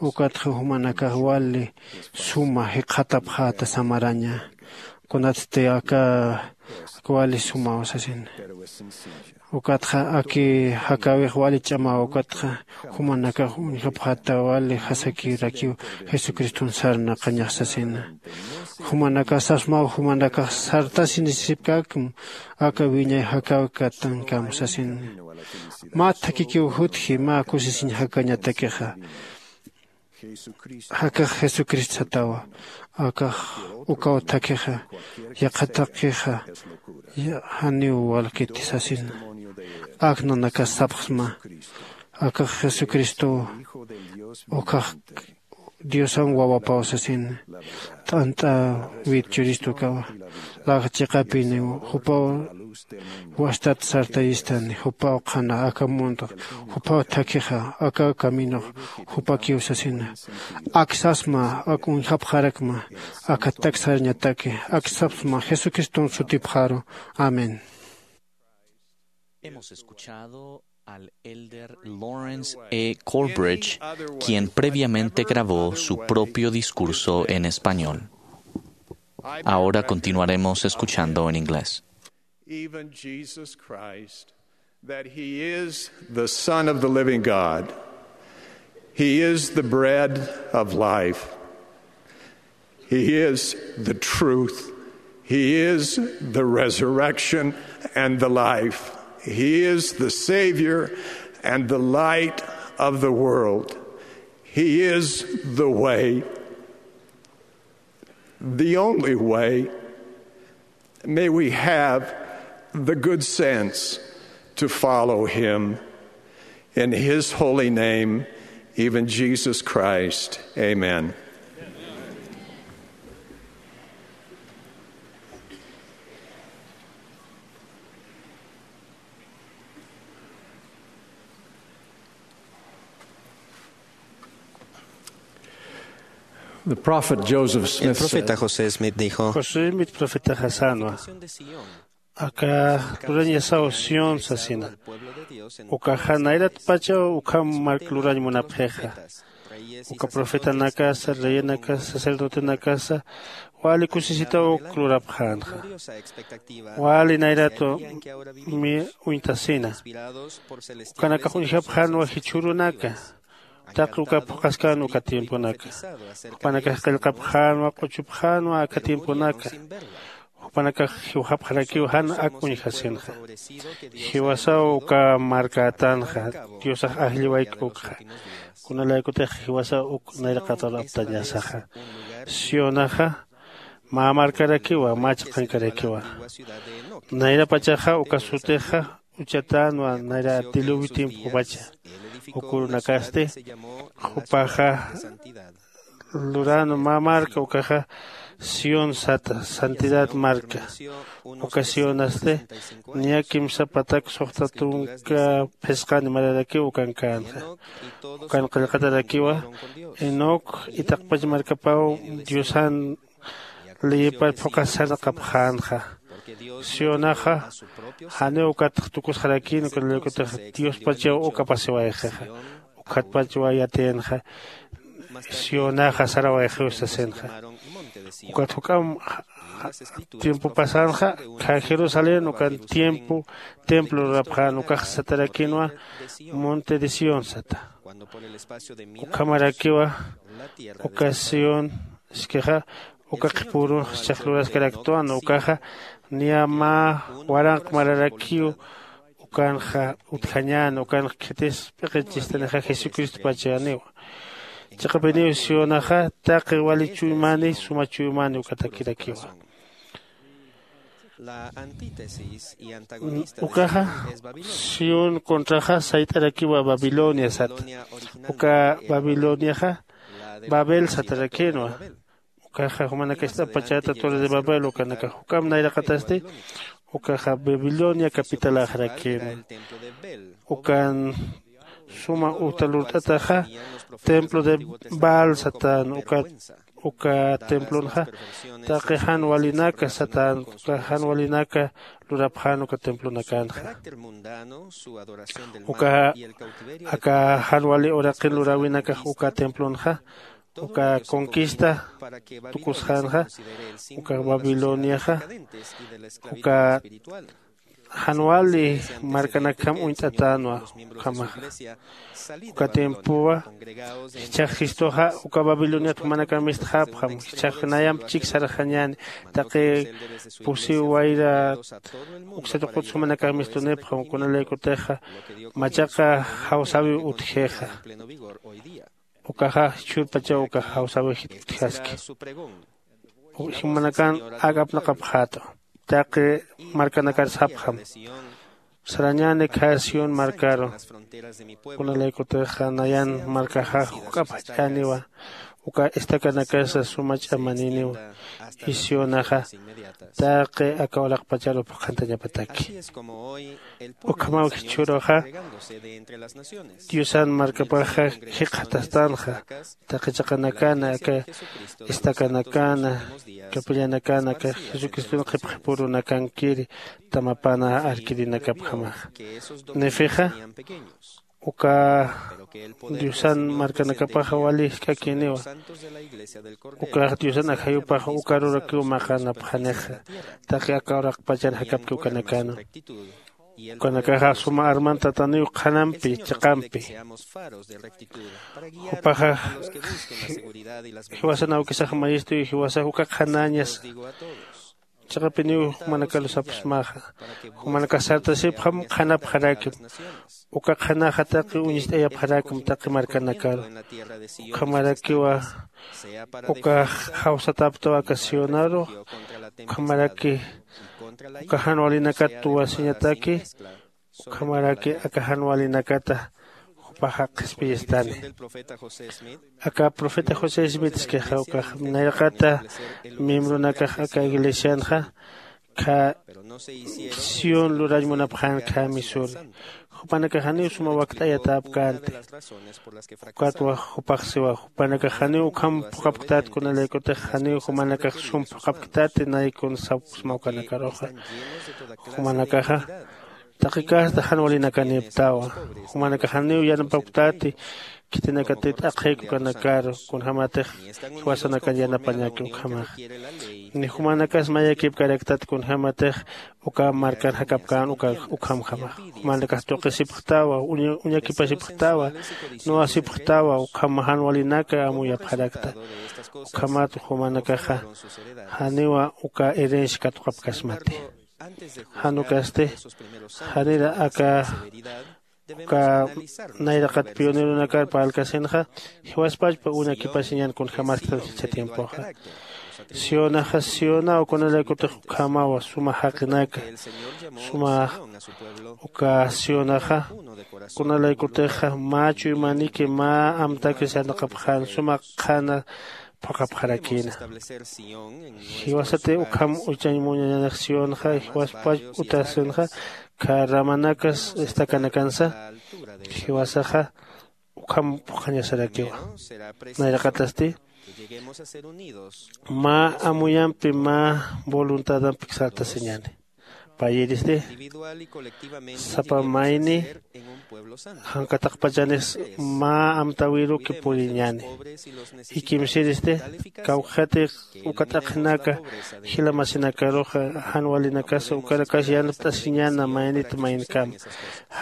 ukatxa jumanakax wali suma jikxatapxäta samaraña. Kunatsti aka wali sumaw sasina. Ukatxa aki jakäwix wali ch'amaw ukatxa jumanakax uñjapxäta wali jasakirakiw jesucriston sarnaqañax sasina. Jumanakax sasmaw jumanakax sartasinisipkäkm aka wiñay jakäwikatankam sasina. Mä thakikiw jutji mä kusisiñ jakañatakixa. Jakax jesucristo satawa akax ukaw thakhixa yaqhatakixa janiw walkiti sasina. Ak nanakas sapxsma akax jesucristow ukhax diosan wawapaw sasina. T'ant'äwit churistu ukawa laxa chiqapiniw jupaw wastat sartayistani jupaw qhana aka mundox jupaw thakhixa aka caminox jupakiw sasina. Ak sasma ak uñjapxarakma aka taksarñataki ak sapsma jesucriston sutipxaru. Amén. Hemos escuchado al elder Lawrence E. Corbridge, quien previamente grabó su propio discurso en español. Ahora continuaremos escuchando en inglés. Even Jesus Christ, that he is the Son of the living God. He is the bread of life. He is the truth. He is the resurrection and the life. He is the Savior and the light of the world. He is the way, the only way. May we have the good sense to follow him. In his holy name, even Jesus Christ. Amen. The prophet Joseph El Smith profeta said, José Smith dijo, José Smith profeta jasanwa. Aka lurañasaw Sión sasina. Ukaxa nayratpachaw ukham mark lurañ munapxixa. Uka profetanakasa, reyenakasa, sacerdotenakasa wali kusisitaw uk lurapxänxa. Wali nayratwa mi uñtasina. Ukanakax uñjapxänwa jichhürunaka. Taqi uka phuqhaskän uka tiemponaka. Jupanakax qillqapxänwa q'uchupxänwa aka tiemponaka. Jupanakax jiwxapxarakiw jan ak uñjasinxa. Jiwasaw uka markätanxa. Diosax ajlliwayk ukxa. Kunalaykutix jiwasaw uk nayraqatar aptañasaxa. Sionaxa mä markarakiwa mä chiqankarakiwa. Nayrapachaxa uka sutixa uchatänwa nayra diluvi tiempopacha. Ukurunakasti jupaxa luränwa mä marka ukaxa Sión sata santidad marka. Uka sionasti niya kimsa patak suxta tunka phisqan imararakiw ukankänxa. Ukan qillqatarakiwa enoc itaqpach markapaw diosan liyipar phuqhas sarnaqapxänxa. Sionaxa janiw ukat tukusxarakïn uka lluykutix diospachaw uka pasiwayxixa. Ukhatpachwa yatiyinxa sionaxa sarawayxiw sasinxa. Ukat juk'am tiempo pasänxa khä jerusalén ukan tiempo templo lurapxän ukax satarakïnwa monte de sión sata. Ukhamarakiwa uka sión iskixa uka qhipürunx jichhax luraskaraktwan ukaxa niya mä waranq mararakiw ukanxa utjañäni ukanx khitis p'iqichistanixa jesucristopachäniwa. Chiqapiniw sionaxa taqi wali chuymani suma chuymani ukatakirakiwa. Ukaxa sión contraxa sayt'arakiwa babilonia sata. Uka babiloniaxa babel satarakïnwa. Ukaxa jumanakax ist'apachäta torre de babel ukanakax juk'amp nayraqatasti ukaxa babilonia capitaläxarakïnwa. Ukan suma uta lurt'ataxa templo de baal satän uka uka templonxa taqi jan walinaka satän uka jan walinaka lurapxän uka templonakanxa. Uka aka jan wali uraqin luräwinakax uka templonxa uka conquista tukusxänxa uka babiloniaxa uka jan wali markanakjam uñt'atänwa. Ukhamaxa uka tiempowa jichhax jistuxa uka babiloniat jumanakamistxäpxam jichhax nayamp chik sarxañäni taqi pusiw wayra uksa tuqut jumanakamistunipxam kunalaykutixa machaqa jawsäwiw utjixa. Ukaxa jichhürpachaw ukax jawsäwixit utjaski. Jumanakan ak'apnaqapxätwa taqi markanakar sapxam sarañäni khä sión markaru. Kunalaykutixa nayan markaxax juk'ap jach'äniwa uka estacanakasa suma ch'amaniniwa. Isionaxa taqi aka uraqpacharu phuqhantañapataki. Ukhamaw jichhüruxa diosan markapaxa jikxatastanxa taqi chiqanakana aka estacanakana capillanakana aka jesucriston qhipqhipürunakankiri tamapana arkirinakapjamaxa. Nefixa uka diosan markanakapaxa wali jisk'akiniwa. Ukax diosan ajayupaxa ukarurakiw maqanapxanixa taqi aka uraqpachan jakapki ukanakanu. Ukanakaxa suma armantataniw qhanampi chiqampi. Jupaxa jiwasan awkisax mayistuy jiwasax uka qhanäñasa. Chiqapiniw jumanakaru sapxsmaxa jumanakax sartasipxam qhanapxarakim. Uka qhanaxa taqi uñist'ayapxarakim taqi markanakaru. Ukhamarakiwa uka jawsatäptaw aka sionaru. Ukhamaraki uka jan walinakat tuwasiñataki. Ukhamaraki aka jan walinakata jupaxa qhispiyistani. Aka profeta josé smith iskixa ukax nayraqata miembronakax aka iglesianxa kha sión lurañ munapxän kha misuri. Jupanakax janiw suma wakt'ayatäpkänti. Ukatwa jupax siwa jupanakax janiw ukham phuqhapktät kunalaykutix janiw jumanakax sum phuqhapktäti nay kun sapksma ukanakaruxa. Jumanakaxa taqi kasta jan walinakanïpktawa. Jumanakax janiw yanapapktäti khitinakatï t'aqhïk ukanakaru kunjämatix jiwasanakan yanapañäki ukhamaxa. Ni jumanakas mayakïpkaraktat kunjämatix uka markan jakapkän uka ukhamjamaxa. Jumanakax tuqisipxtawa uñakipasipxtawa nuwasipxtawa ukham jan walinaka amuyapxarakta. Ukhamat jumanakaxa janiwa uka herencia katuqapkasmati. Jan ukasti janira aka uka nayraqat pioneronakar parlkasinxa jiwaspachpa uñakipasiñan kunjämasktan jichha tiempoxa. Sionaxa sionaw kunalaykutix ukhamawa suma jaqinaka suma uka sionaxa kunalaykutixa mä chuymaniki mä amtakis yanaqapxän suma qhana phuqhapxarakïna. Jiwasati ukham uchañ muñañanix sionxa jiwaspach utasinxa, kha ramanakas estakanakansa jiwasaxa ukham phuqhañasarakiwa. Nayraqatasti mä amuyampi mä voluntadampi sartasiñäni. Payïristi sapa mayni jankataqpachanis mä amtäwiruki puriñäni. Jikimsiristi kawkxatix uka t'aqhinaka jila masinakaruxa jan walinakasa ukanakas yanapt'asiñäna maynit maynkama.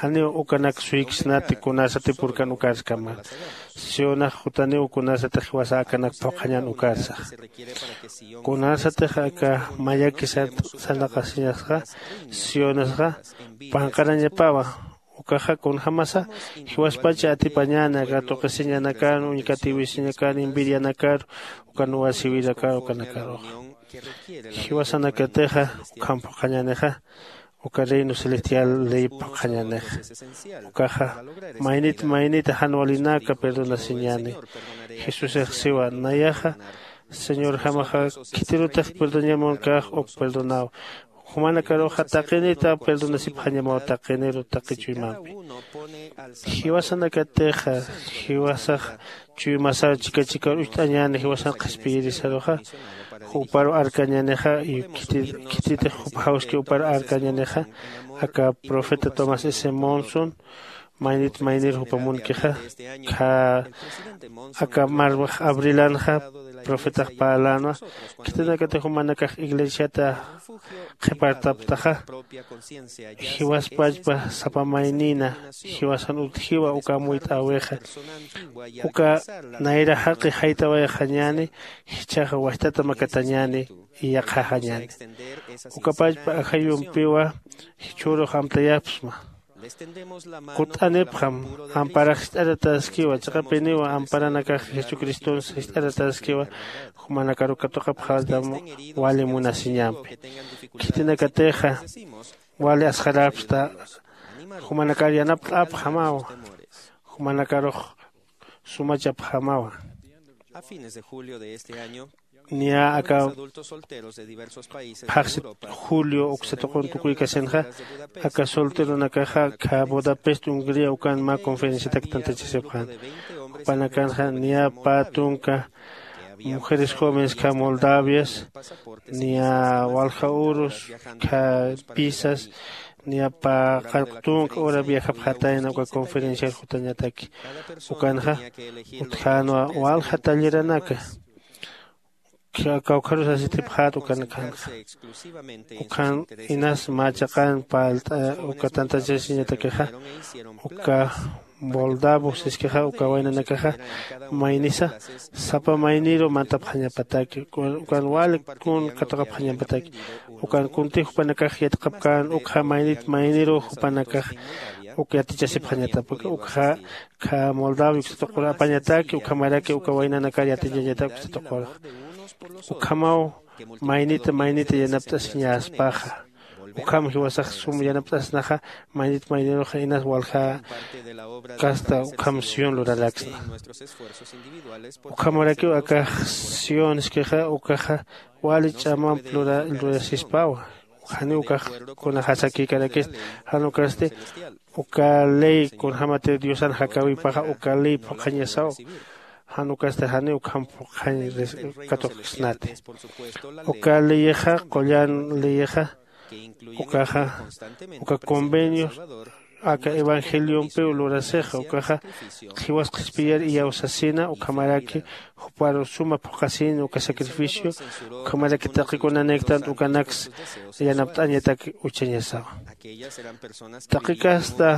Janiw ukanak suyksnati kunasatipurkan ukarskama. Sionax jutaniw kunasatix jiwasa akanak phuqhañän ukarsaxa. Kunasatix aka mayaki sarnaqasiñasxa sionasxa panqarañapawa. Ukaxa kunjämasa jiwaspacha atipañäni aka tuqisiñanakan uñkatiwisiñakan envidianakar ukan wasiwirakar ukanakaruxa. Jiwasanakatixa ukham phuqhañänixa uka reino celestial ley phuqhañänixa. Ukaxa maynit maynita jan walinaka perdonasiñäni. Jesusix siwa nayaxa señorjamaxa khitirutix perdoñamunkax uk perdonaw. Jumanakaruxa taqinita perdonasipxañamaw taqiniru taqi chuymampi. Jiwasanakatixa jiwasax chuymasar chika chikar ucht'añäni jiwasan qhispiyirisaruxa juparu arkañänixa. Khititix jupjawski juparu arkañänixa aka profeta tomás s monson maynit maynir jupamunkixa. Kha aka marmax abrilanxa profetax parlänwa khitinakatix jumanakax iglesiata qhipartaptaxa. Jiwaspachpa sapa maynina jiwasan utjiwa uka amuyt'äwixa. Uka nayra jaqi jaytawayxañäni jichhaxa wajtata makatañäni iyaqhaxañäni. Ukapachpa ajayumpiwa jichhürux amtayapxsma. Kut'anipxam amparax jist'aratäskiwa chiqapiniwa amparanakax jesucristonsa jist'aratäskiwa. Jumanakaru katuqapxätam wali munasiñampi. Khitinakatixa wali asxarapxsta jumanakar yanapt'apxamawa. Jumanakarux sumachapxamawa. Niya aka phaxsit julio uksa tuqun tukuykasinxa aka solteronakaxa kha budapest hungría ukan mä conferenciatak tantachasipxän. Jupanakanxa niya pä tunka mujeres jóvenes kha moldavias niya walja urus kha pisas niya pä qallq tunka ura viajapxatayna uka conferenciar jutañataki. Ukanxa utjänwa walja talleranaka kawkharus asitipxät ukanakanxa. Ukhan inas mä chiqan parlt'a uka tantachasiñatakixa uka moldavo siskixa uka waynanakaxa maynisa sapa mayniru mantapxañapataki ukan wali kun katuqapxañapataki. Ukan kuntix jupanakax yatiqapkän ukxa maynit mayniru jupanakax uk yatichasipxañatapaki ukxa kha moldavia uksa tuqur apañataki ukhamaraki uka waynanakar yatiñañatak uksa tuqurxa. Ukhamaw maynita maynita yanapt'asiñäspaxa. Ukham jiwasax sum yanapt'asnaxa maynit mayniruxa inas walja kasta ukham sion luraraksna. Ukhamarakiw akax sion iskixa ukaxa wali ch'amamp lurasispawa. Janiw ukax kunaxasakïkarakista jan ukasti uka ley kunjämatir diosan jakäwipaxa uka ley phuqhañasaw. Jan ukasti janiw ukham phuqhañ katuqksnati. Uka leyixa qullan leyixa ukaxa uka convenios aka evangeliompiw lurasixa ukaxa jiwas qhispiyar iyawsasina ukhamaraki juparu suma phuqhasïn uka sacrificio ukhamaraki taqi kunaniktant ukanaks yanapt'añatak uchañasawa. Taqi kasta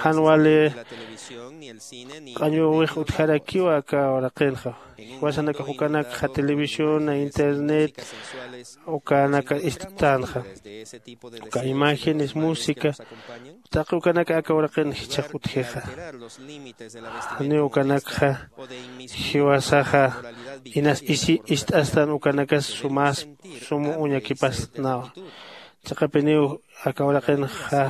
jan wali q'añuwix utjarakiwa aka uraqinxa. Jiwasanakax ukanakxa televisión internet ukanaka ist'tänxa uka imágenes música taqi ukanaka aka uraqin jichhax utjixa. Janiw ukanakxa jiwasaxa inas isi ist'astan ukanakas sumas sum uñakipasnawa. Chiqapiniw aka uraqinxa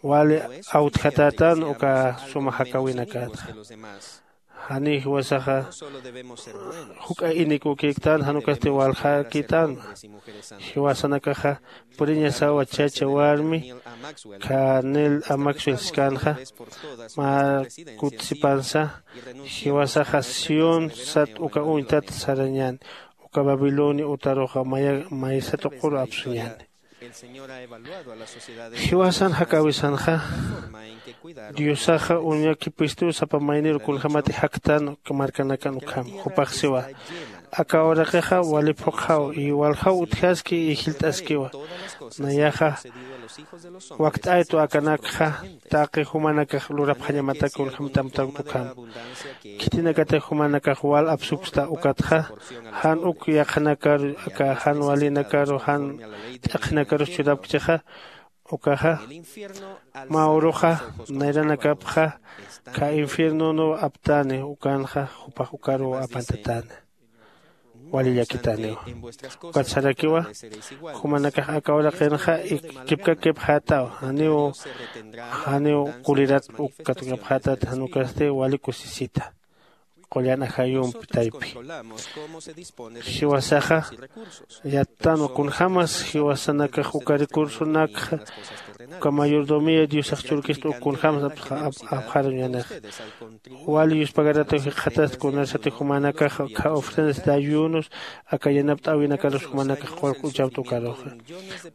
wali awtjatätan uka suma jakäwinakatxa. Janiw jiwasaxa juk'a inikukïktän, jan ukasti waljakïtänma. Jiwasanakaxa puriñasawa chacha warmi Canel Amaxwil siskänxa, mä kutsipansa jiwasaxa Sión sat uka uñtat sarañäni, uka Babilonia utaruxa maya maysa tuquru apsuñäni. Jiwasan jakäwisanxa, Diosaxa uñakipistu sapa mayniru kunjämati jaktan markanakan ukham. Jupax siwa, aka uraqixa wali phuqhaw y waljaw utjaski y jillt'askiwa. Nayaxa wakt'aytu akanakxa taqi jumanakax lurapxañamatak kunjämati amtawkta ukham. Khitinakatix jumanakax wal apsupksta ukatxa, jan uk yaqhanakaru aka jan walinakaru jan t'aqhinakarus churapkchixa, ukaxa mä uruxa nayranakapxa kha infiernonuw aptäni, ukanxa jupax ukaruw apantatäna. Wali llakitäniwa. Ukat sarakiwa, jumanakax aka uraqinxa kipkakipxätaw, janiw janiw kulirat uk katukapxätat, jan ukasti wali kusisita. Qullan ajayumpi taypi. Jiwasaxa yattanwa kunjämas jiwasanakax uka recursonakxa, uka mayordomía Diosax churkista uk kunjämas apxaruñänixa. Wali yuspagaratuw jikxatasti kunarsatix jumanakax kha ofrendas de ayunos aka yanapt'äwinakarus jumanakax qullq uchapta ukaruxa.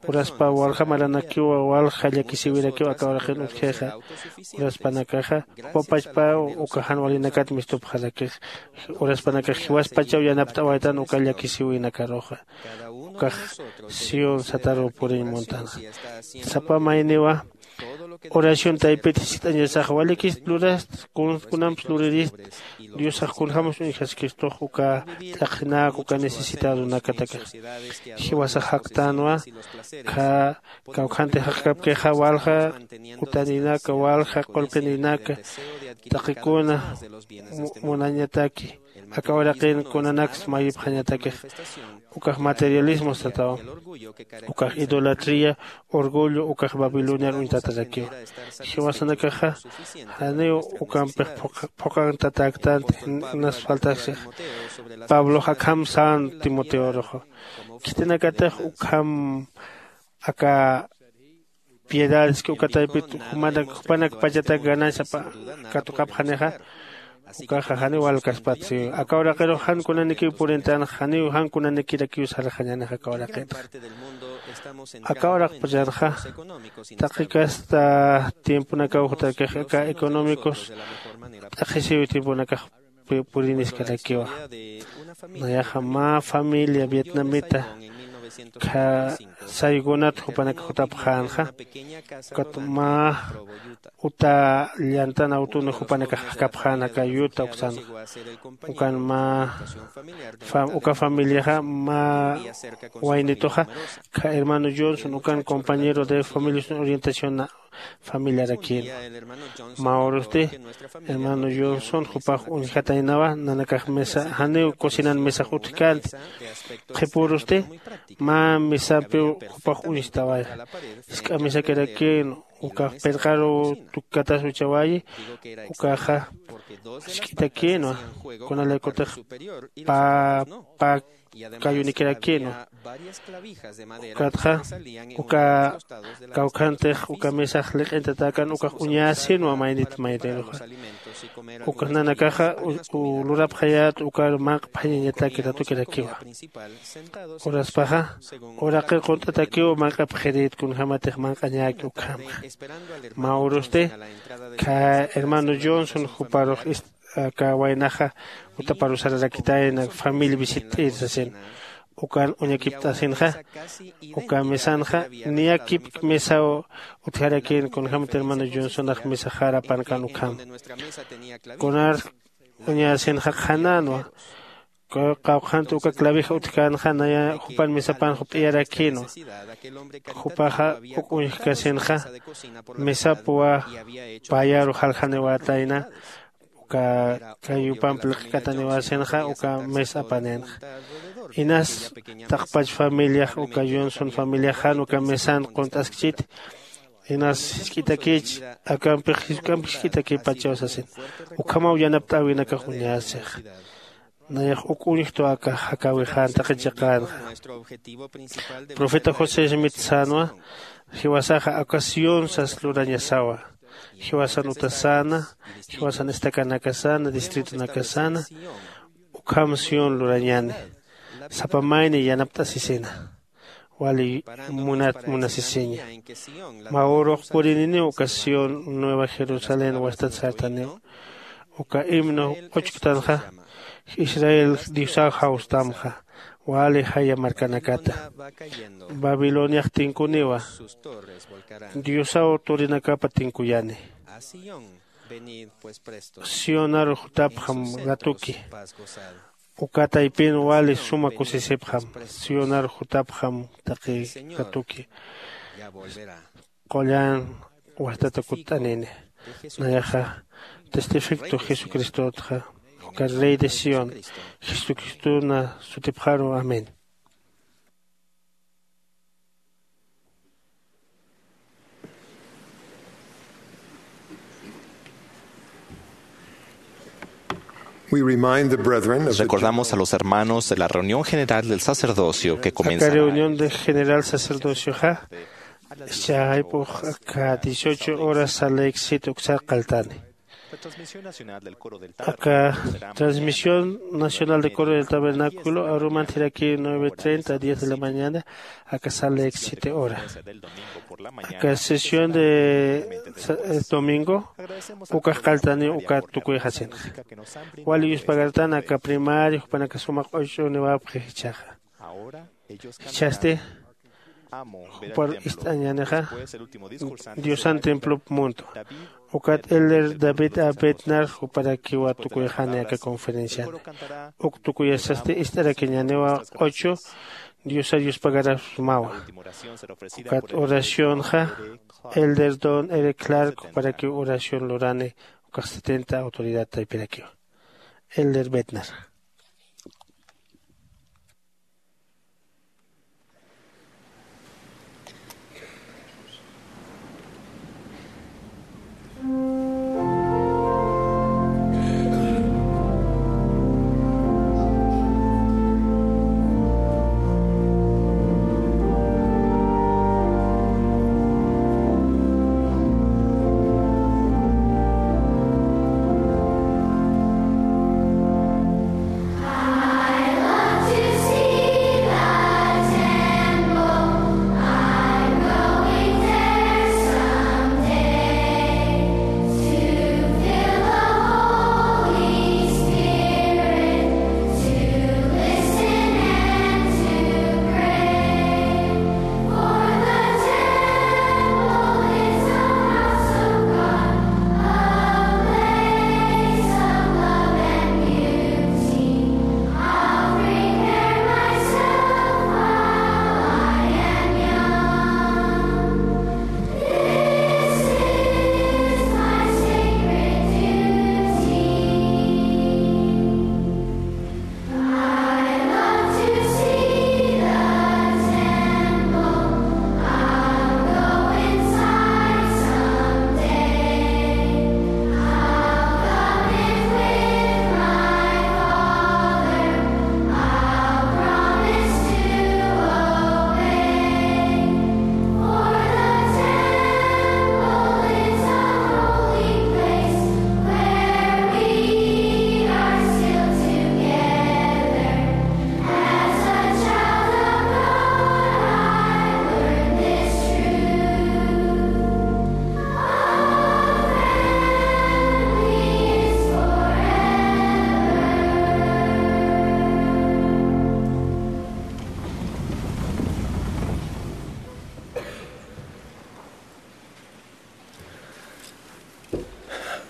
Uraspa walja maranakiwa, walja llakisïwirakiw aka uraqin utjixa. Uraspanakaxa jupa pachpa uka jan walinakat mistupxarakix. Uraspanakax jiwaspachaw yanapt'awaytan uka llakisïwinakaruxa. Ukax Sión sataruw puriñ muntanxa. Sapa mayniwa oración taypit jiskt'añasax, walikist lurasta, kun kunamps lurirista, Diosax kunjämas uñjaskistux uka t'aqhinak uka necesitadonakatakax. Jiwasax jaktänwa, kha kawkhantix jaqkapkixa walja utaninak, walja qullqinak, taqikuna munañataki, aka uraqin kunanaks mayipxañatakix. Ukax materialismo satawa, ukax idolatría, orgullo, ukax Babiloniar uñtatarakiwa. Jiwasanakaxa janiw ukampix phuqhantatäktanti, nas faltaksix. Pablox akham sän Timoteoruxa. Khitinakatix ukham aka piedades que uka taypit jupanak jupanak pachatak gananciapa katuqapxanixa, ukaxa janiw walkaspatsi. Aka uraqirux jan kunanikiw purintanxa, janiw jan kunanikirakiw sarxañänixa aka uraqinxa. Aka uraqpachanxa taqi kasta tiemponakaw jutakix aka económicos t'aqhisiw tiemponakax puriniskarakiwa. Nayaxa mä familia vietnamita kha saygunat jupanakax jutapxänxa. Ukat mä uta llantan awtuna jupanakax jakapxän aka yuta uksanxa. Ukan mä uka familiaxa mä waynituxa kha hermano Johnson ukan compañero de familias orientación familiarakïnwa. Mä urusti hermano Johnson jupax uñjataynawa, nanakax mesa janiw cocinan mesax utjkänti. Qhipürusti mä mesampiw jupax uñstawaya. Jisk'a mesakirakïnwa, ukax pirqaruw tukkatas uchawayi. Ukaxa jisk'itakïnwa, kunalaykutix pä pä kayunikirakïnwa. Ukatxa uka kawkhantix uka mesax liq'intatäkän ukax uñäsinwa maynit mayniruxa. Ukax nanakaxa lurapxayät ukar manq'phañañataki ratukirakiwa. Uraspaxa uraqir qunt'atakiw manq'apxirït kunjämatix manq'añäki ukhamxa. Mä urusti kha hermano Johnson juparux aka waynaxa utaparu sararakitayna familia visitt'ir sasin. Ukan uñakipt'asinxa uka mesanxa niyakipk mesaw utjarakïn kunjämti hermano Johnsonax mesaxar apankan ukham. Kunar uñasinxa qhanänwa. Qawqhanti uka clavija utjkänxa naya jupan mesapan jup'iyarakïnwa. Jupaxa uk uñjkasinxa mesapwa payaru jaljaniwätayna. Uka kayupamp liq'kataniwäsinxa uka mes apanïnxa. Inas taqpach familiax uka Johnson familiax jan uka mesan qunt'askchiti. Inas jisk'itakich, akampix jisk'ampix jisk'itakipachaw sasin. Ukhamaw yanapt'äwinakax uñasixa. Nayax uk uñjtu aka jakäwixän taqi chiqänxa. Profeta José Smith sänwa, jiwasaxa aka Sión sas lurañasawa. Jiwasan utasäna, jiwasan estacanakasäna, distritonakasäna, ukham Sión lurañäni. Sapa mayni yanapt'asisina. Wali munat munasisiña. Mä urux purininiw uka Sión, Nueva Jerusalén wastat sartaniw. Uka himno q'uchktanxa, Israel Diosaw jawstamxa, wali jaya markanakata. Babiloniax tinkuniwa, Diosaw turinakapa tinkuyani. Sionar jutapxam ratuki. Uka taypin wali suma kusisipxam. Sionar jutapxam taqi ratuki. Qullan wastata kutt'anini. Nayaxa testificto Jesucristotxa, uka Rey de Sión, Jesucristona sutipxaru. Amén. We remind the brethren of the Recordamos a los hermanos de la reunión general del sacerdocio que aka comenzará reunión de general sacerdocioxa, chaypux aka dieciocho horas saleksita uksa qaltani. Aka transmisión nacional de coro del tabernáculo aruman thiraki nueve treinta a diez de la mañana, aka saleksita hora. Aka sesión de sa- eh, domingo, ukax qaltani uka tukuyxasinxa. Wali yuspagartan aka primario jupanaka suma q'uch'uniwapxi jichhaxa. Jichhasti jupar ist'añänixa Diosan templop muntwa. Ukat elder David A. Bednar juparakiwa tukuyxani aka conferenciana. Uk tukuyasasti ist'arakiñäniwa q'uchu Diosar yuspagarasmawa. Ukat oracionxa elder Don Eric Clark juparakiw oración lurani, ukax setenta autoridad taypirakiwa. Elder Bednar.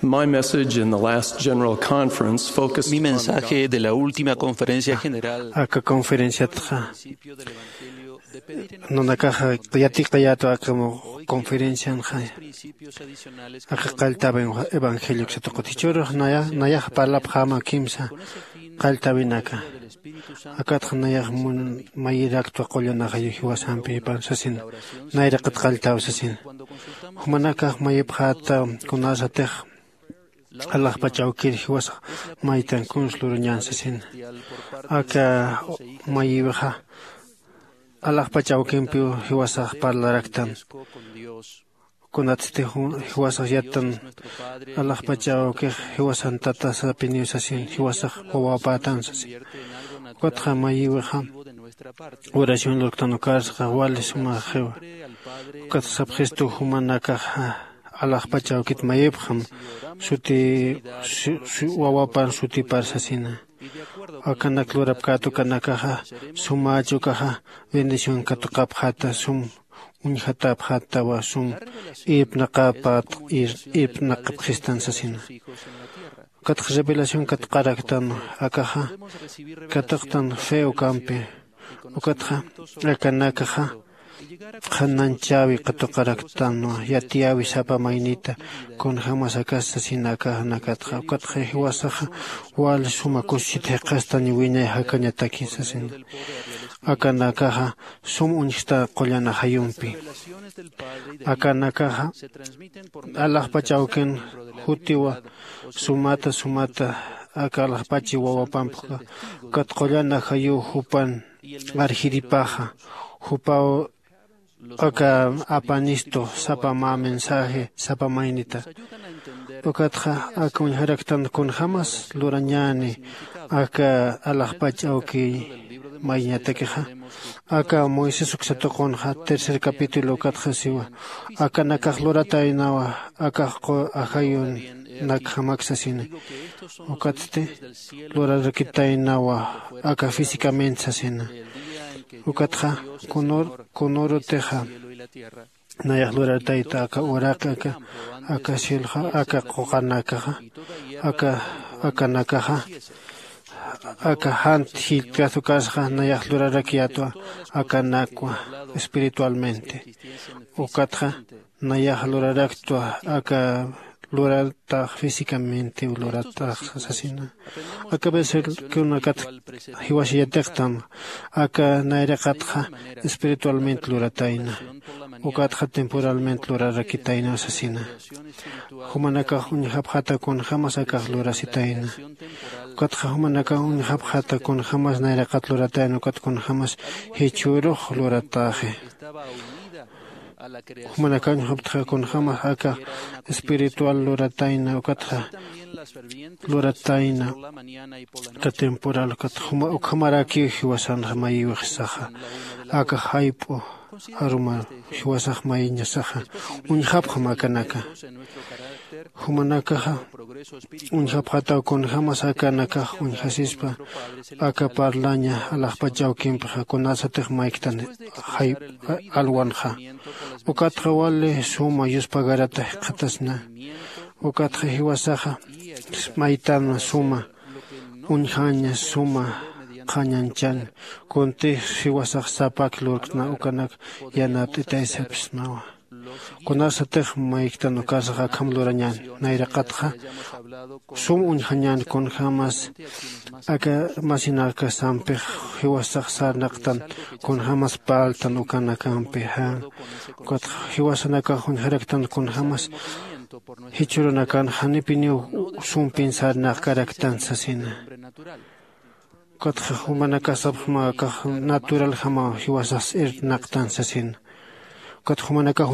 My message in the last general conference focused Mi on mensaje de la última conferencia general aka conferenciatxa principio del evangelio de pedir en nunakaxa yatiqayätwa aka conferencianxa. Principios adicionales que aka son qalltawa evangelio uksatuqut jichhürux naya nayaxa parlapxäma kimsa con ese fin qalltäwinaka. Akatxa nayax mayiraktwa qullanaxayu jiwasampi jipan sasin. Nayraqat qalltäw sasin. Jumanakax mayipxäta kunasatix alaxpach awkir jiwasax maytan kuns lurañän sasin. Aka mayiwixa alaxpach awkimpiw jiwasax parlaraktan. Kunatsti jiwasax yattan alaxpach awkix jiwasan tata sapiniw sasin jiwasax wawapätan sasin. Ukatxa mayiwixa oración lurktan ukarsaxa wali sumaxiwa. Ukatxa sapxistu jumanakaxa alaxpach awkit mayipxam suti wawapan sutipar sasina. Akanak lurapkät ukanakaxa sumäch ukaxa bendición katuqapxäta sum uñjatäpxätawa sum irpnaqapat irpnaqapxistan sasina. Ukatxa revelación katuqaraktan akaxa katuqtan fe ukampi. Ukatxa akanakaxa qhananchäwi katuqaraktanwa yatiyäwi sapa maynita kunjämas akas sasina akaxanakatxa ukatxa jiwasaxa wali suma kusichit jiqhastani wiñay jakañataki sasina. Akanakaxa sum uñjta qullan ajayumpi. Akanakaxa alaxpach awkin jutiwa sumata sumata aka alaxpachi wawapampxa ukat qullan ajayuw jupan arjiripaxa jupaw aka apanistu sapa mä mensaje sapa maynita. Ukatxa aka uñjaraktan kunjämas lurañäni aka alaxpach awki mayñatakixa aka moisés uksa tuqunxa tercer capítulo ukatxa siwa akanakax lurataynawa akax qu ajayunakjamak sasina. Ukatsti lurarakitaynawa aka físicamente sasina. Ukatxa kunurutixa nayax lurartayta aka uraqi aka aka cielxa aka quqanakaxa aka akanakaxa aka jant jillt'kast ukasxa nayax lurarakyätwa akanakwa espiritualmente. Ukatxa nayax luraraktwa aka luratax físicamente luratax sasina. Aka versokunakat jiwasa yatiqtam aka nayraqatxa espiritualmente luratayna ukatxa temporalmente lurarakitayna sasina. Jumanakax uñjapxata kunjämas akax lurasitayna ukatxa jumanakax uñjapxata kunjämas nayraqat luratayna ukat kunjämas jichhürux luratäxi. Jumanakax uñjapxata kunjämas aka espiritual luratayna ukatxa luratayna aka temporal ukat juma ukhamarakiw jiwasanxa mayiwixsaxa aka jayp'u aruma jiwasax mayiñasaxa uñjapxam akanaka. Jumanakaxa uñjapxataw kunjämas akanakax uñjasispa aka parlaña alaxpach awkimpixa kunasatix mayktan jayp'a alwanxa. Ukatxa wali suma yuspagarata jikxatasna ukatxa jiwasaxa maytanwa suma uñjaña suma qhañañchañ kuntix jiwasax sapak lurktna ukanak yanapt'itaysapsnawa. Kunasatix mayktan ukasax akham lurañän nayraqatxa sum uñjañän kunjämas aka masinakasampix jiwasax sarnaqtan kunjämas parltan ukanakampi jan. Ukatxa jiwasanakax uñjaraktan kunjämas jichhürunakan janipiniw sumpin sarnaqkaraktan sasina. Ukatxa jumanakax sapxma akax naturaljamaw jiwasax irpnaqtan sasina. Ukatxa jumanakax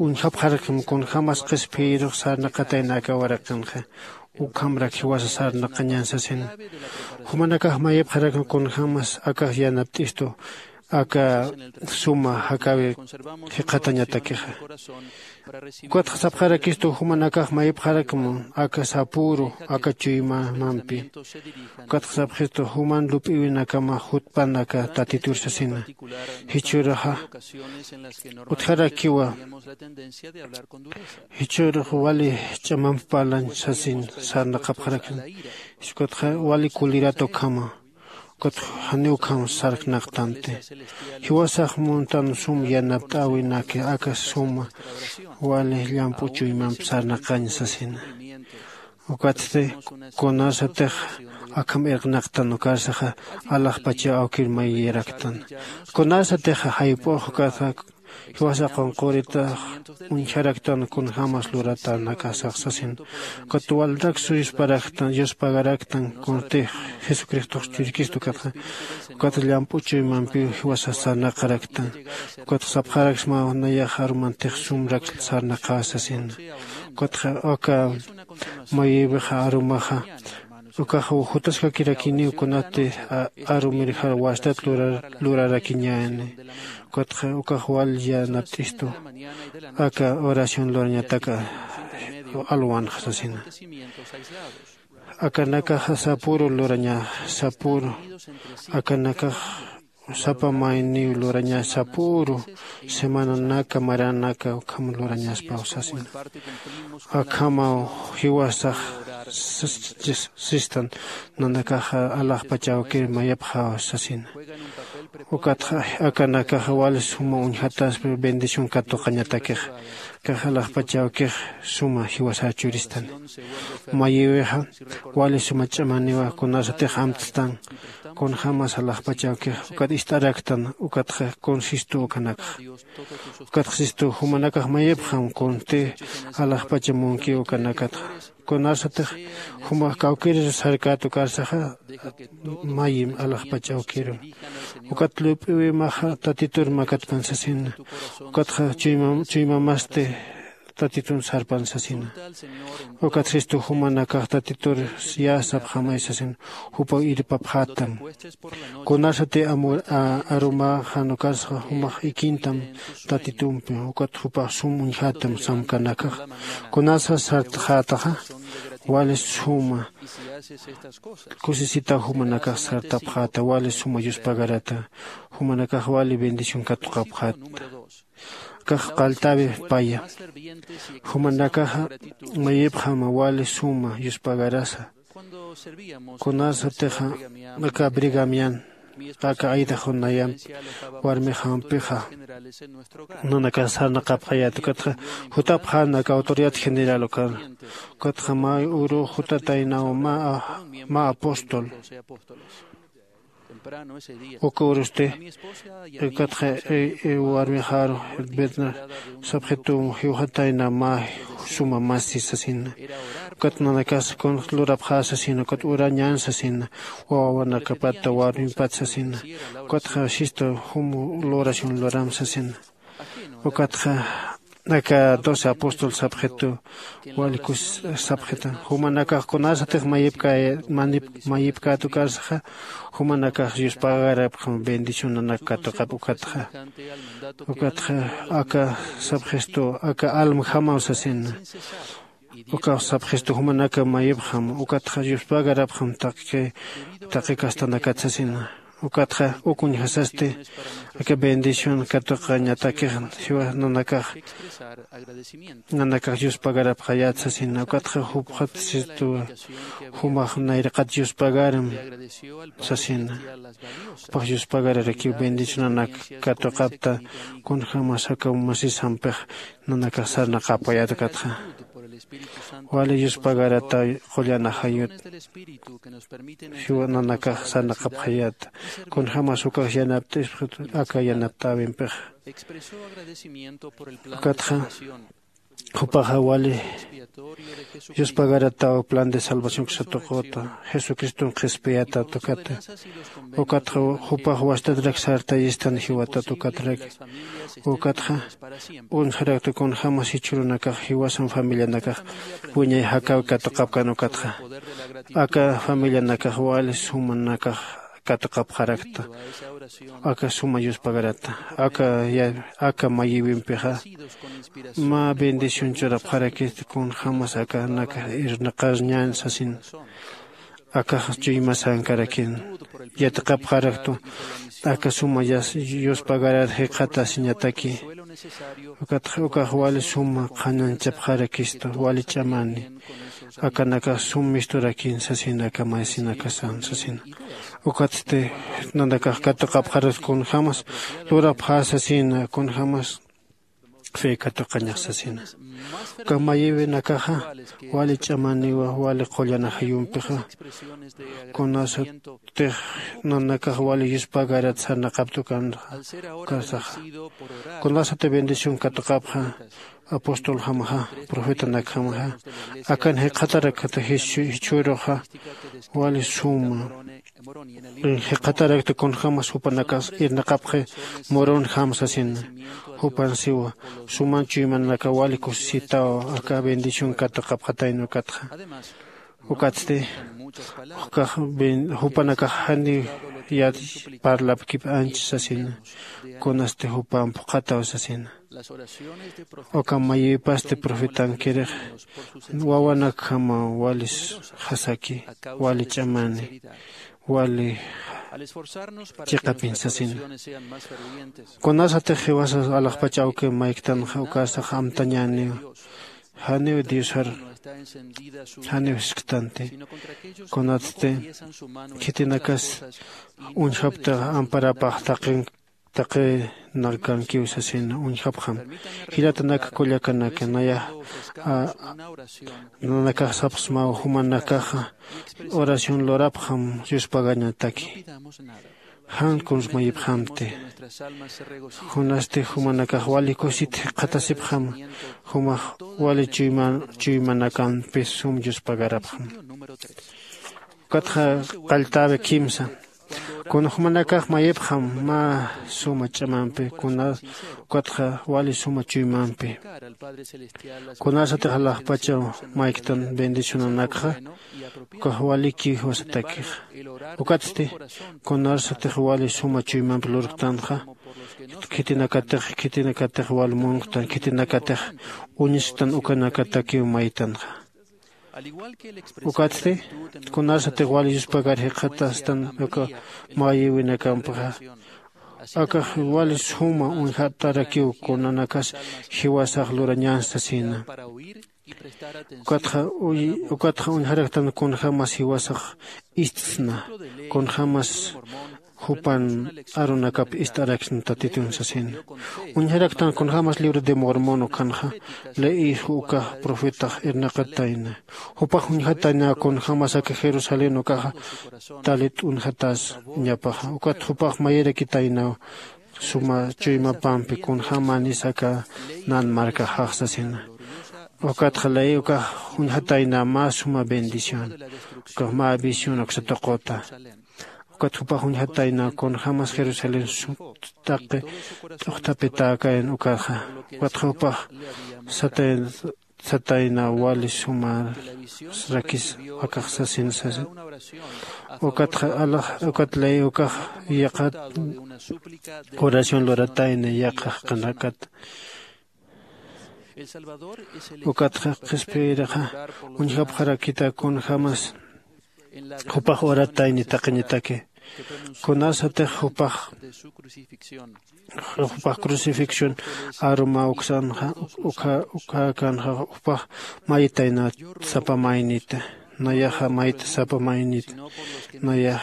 uñjapxarakma kunjämas qhispiyirux sarnaqatayna aka waraqinxa ukhamrak jiwasa sarnaqañän sasina. Jumanakax mayipxarakma kunjämas akax yanapt'istu aka suma jakäwir jikxatañatakixa. Ukatxa sapxarakistu jumanakax mayipxarakma aka sapüru aka chuymamampi. Ukatxa sapxistu juman lup'iwinakama jutpan aka tatitur sasina. Jichhüruxa utjarakiwa jichhürux wali ch'amamp parlañ sasin sarnaqapxarakna. Ukatxa wali kulirata ukhama ukatxa janiw ukham sarnaqtanti. Jiwasax muntan sum yanapt'äwinaki aka suma wali llamp'u chuymamp sarnaqañ sasina. Ukatsti kunasatix akham irqnaqtan ukarsaxa alaxpachaw awkir mayiyaraktan. Kunasatix jayp'ux ukatxa jiwasa qunquritax uñjaraktan kunjämas luratanakasax sasin. Ukat walrak suyusparaktan yuspagaraktan kunsti jesucristox churikista ukatxa ukat llamp'u chuymampiw jiwasa sarnaqaraktan. Ukat sapxaraksma nayax arumantix sumrak sarnaqä sasina. Ukat aka mayïwixa arumaxa ukax jutaskakirakiniw kunati arumirjar wastat lurarakiñäni. Ukatxa ukax wal yanapt'istu aka oración lurañataka alwanxa sasina. Akanakaxa sapüru lurañaxa sapüru akanakax sapa mayniw luraña sapüru semananaka maranaka ukham lurañaspaw sasina. Akhamaw jiwasax sistan nanakaxa alaxpachawkir mayapxaw sasina. Ukatxa akanakaxa wali suma uñjataspi bendición katuqañatakixa kax alaxpachawkix suma jiwasar churistan. Mayïwixa wali suma ch'amaniwa kunasatix amtstan kunjämas alaxpachawkix ukat ist'araktan. Ukatxa kun sistu ukanakxa ukatxa sistu jumanakax mayipxam kunsti alaxpacha munkiw ukanakatxa. Kunasatix jumax kawkïrir sarkät ukarsaxa mayim alaxpachawkiru. Ukat lup'iwimaxa tatitur makatpan sasina. Ukatxa chuymamasti tatitun sarpan sasina. Ukat sistu jumanakax tatitur yä sapxamay sasin jupaw irpapxätam. Kunasati arumäxan ukarsaxa jumax ikintam tatitumpi ukat jupax sum uñjätam samkanakax. Kunasa sartxätaxa wali suma kusisitaw jumanakax sartapxäta wali suma yuspagarata. Jumanakax wali bendición katuqapxäta. Kax qalltäwi paya jumanakaxa mayipxama wali suma yuspagarasa. Kunasatixa aka brigamian aka aydaxunayampi warmixampixa nanakax sarnaqapxayät ukatxa jutapxän aka autoridad general ukar. Ukatxa mä uru jutataynaw mä apóstol uka urusti ukatxa warmixaru betna sapxitum jiwxatayna mä suma masi sasina. Ukat nanakas kun lurapxä sasina ukat urañän sasina. Wawanakapatta warmimpat sasina. Ukatxa sistu jum luración luram sasina. Ukatxa aka doce apóstol sapxitu wali kus sapxita jumanakax kunasatix mayipkät ukarsaxa jumanakax yuspagarapxam bendicionanak katuqap ukatxa. Ukatxa aka sapxistu aka almjamaw sasina. Ukax sapxistu jumanaka mayipxam ukatxa yuspagarapxam taqi taqi kastanakat sasina. Ukatxa uk uñjasasti aka bendición katuqañatakix jiwa nanakax nanakax yuspagarapxayät sasina. Ukatxa jupxat sistuwa jumax nayraqat yuspagaram sasina. Jupax yuspagararakiw bendicionanak katuqapta kunjämas aka masisampix nanakax sarnaqapxayät ukatxa wali yuspagarata qullan ajayut jiwa nanakax sarnaqapxayät. Kunjämas ukax yanapt'ispa aka yanaptäwimpixa ukatxa jupaxa wali yuspagarataw plan de salvación ksatuqüta jesucriston qhispiyata tukata. Ukatxa jupax wastatrak sartayistan jiwata tukatrak. Ukatxa uñjarakta kunjämas jichhürunakax jiwasan familianakax wiñay jakaw katuqapkan ukatxa aka familianakax wali sumanakax katuqapxarakta aka suma yuspagarata aka aka mayïwimpixa mä bendición churapxarakista kunjämas akanakax irnaqarñän sasin. Akax chuymasankarakin yatiqapxaraktu aka suma yuspagarar jikxatasiñataki. Ukatxa ukax wali suma qhanañchapxarakistu wali ch'amani akanakax sum misturakin sasin aka masinakasan sasin. Ukatsti nanakax katuqapxaraktu kunjämas lurapxä sasina kunjämas fe katuqañax sasina. Uka mayïwinakaxa wali ch'amaniwa wali qullan ajayumpixa, kunasatix nanakax wali yuspagarat sarnaqapta ukanxa. Ukasaxa kunasati bendición katuqapxa, apostoljamaxa, profetanakjamaxa akan jiqatarakta jichhüruxa wali suma jiqatarakta kunjämas jupanakas irnaqapxi. Moronjam sasina, jupan siwa suman chuymanaka wali kusisitaw aka bendición katuqapxatayna ukatxa. Ukatsti jukax jupanakax janiw yat parlapkip anch sasina, kunasti jupamp juqataw sasina. Uka mayïpasti profetankirix wawanakjamaw wali jasaki, wali ch'amani, wali chiqapin sasina. Kunasatix jiwasa alaxpach awki mayktanxa ukasax amtañäniw, janiw diosar janiw jisktanti. Kunatsti khitinakas uñjaptax amparapax taqi taqinakakankiw sasina uñjapxam. Jilatanak kullakanaka, nayax nanakax sapxsmaw jumanakaxa oración lurapxam yuspagañataki. Jan kuns mayipxamti, kunasti jumanakax wali kusit jikxatasipxam, jumax wali chuymanakampi sum yuspagarapxam. Ukatxa qalltäwi kimsa, kuna jumanakax mayipxam mä suma ch'amampi, kuna ukatxa wali suma chuymampi. Kunasatix alaxpachaw mayktan bendicionanakxa, ukax walikiw jiwasatakixa. Ukatsti kunasatix wali suma chuymampi lurktanxa, khitinakatix khitinakatix wal munktan khitinakatix uñisktan ukanakatakiw maytanxa. Ukatsti kunasatix wal yuspagar jikxatastan uka mayïwinakampxa, akax wal suma uñjatarakiw kunanakas jiwasax lurañän sasina. Ukatxa ukatxa uñjaraktan kunjämas jiwasax ist'sna, kunjämas jupan arunakap ist'araksna tatitun sasina. Uñjaraktan kunjämas libro de mormón ukhanxa leí, ukax profetax irnaqatayna. Jupax uñjatayna kunjämas aka jerusalén ukaxa talit uñjatas ñapaxa. Ukat jupax mayirakitaynaw suma chuymapampi kunjämanis aka nan markaxax sasina. Ukatxa leí ukax uñjatayna mä suma bendición, ukax mä visión uksa tuquta. Ukat jupax uñjatayna kunjämas jerusalén sut taqi t'uqtapitäkayan ukaxa. Ukat jupax satayna satayna wali sumar rakis akax sasin sasa. Ukatxa alax ukat leí ukax yaqat oración luratayna yaqax qanakat. Ukatxa qhispiyirixa uñjapxarakita kunjämas jupax uratayni taqiñataki. Kunasatix jupax jupax crucifixión aruma uksanxa, ukha ukhakanxa jupax maytayna sapa maynita. Nayaxa mayta sapa maynita. Nayax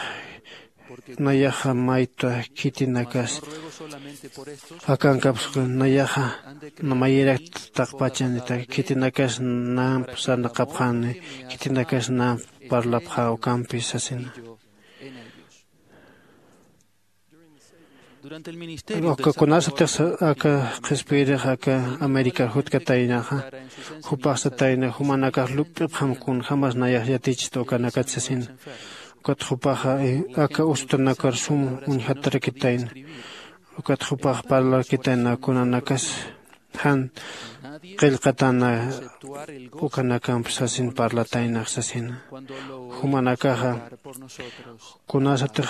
nayaxa mayta khitinakas akankapsku. Nayaxa namayirakt taqpachanita khitinakas namp sarnaqapxani, khitinakas namp parlapxä ukampi sasina. Uka kunasatix aka qhispiyirix aka amérikar jutkataynaxa, jupax satayna jumanakax lup'ipxam kunjämas nayax yatichta ukanakat sasina. Ukat jupaxa aka usutanakar sum uñjatarakitayna. Ukat jupax parlarakitayna kunanakas jan qillqatana ukanakamp sasin parlataynax sasina. Jumanakaxa kunasatix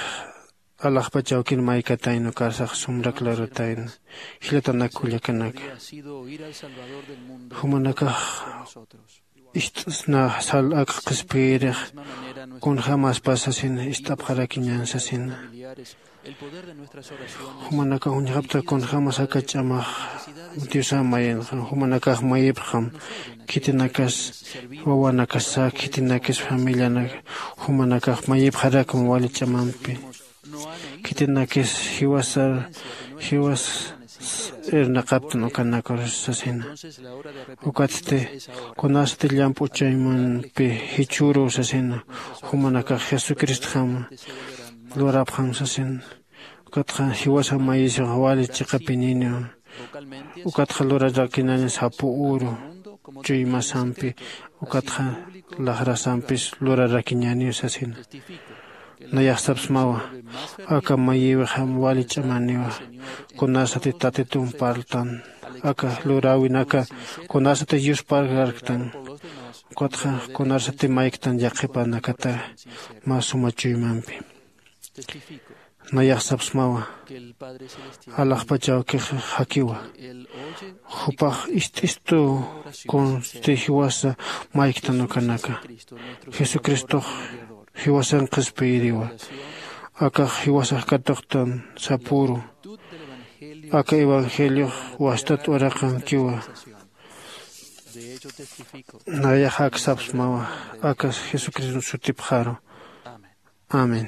alaxpach awkin maykatayna ukarsax sumrak lurutayna. Jilatanak kullakanaka, jumanakax ist'sna sal ak qhispiyirix kunjämaspa sasina ist'apxarakiñän sasina. Jumanakax uñjapta kunjämas aka ch'amax diosa mayinxa. Jumanakax mayipxam khitinakas wawanakasa khitinakas familianak. Jumanakax mayipxarakam wali ch'amampi khitinakis jiwasar jiwas irnaqaptan ukanakar sasina. Ukatsti kunasati llamp'u chaymampi jichhüruw sasina, jumanakax jesucristjama lurapxam sasina. Ukatxa jiwasa mayisix wali chiqapininiw. Ukatxa lurarakinaña sapu uru chuymasampi, ukatxa laxrasampis lurarakiñäniw sasina. Nayax sapsmawa, aka mayïwixam wali ch'amaniwa. Kunasati tatitum parltan, aka luräwinaka kunasati yusparkarktan, ukatxa kunasati mayktan yaqhipanakata mä suma chuymampi. Nayax sapsmawa, alaxpach awkix jakiwa. Jupax ist'istu kunsti jiwasa mayktan ukanaka. Jesucristox jiwasan qhispiyiriwa. Akax jiwasax katuqtan sapüru. Aka evangeliox wastat uraqankiwa. Nayax ak sapsmawa, akas jesucristo sutipxaru. Amén.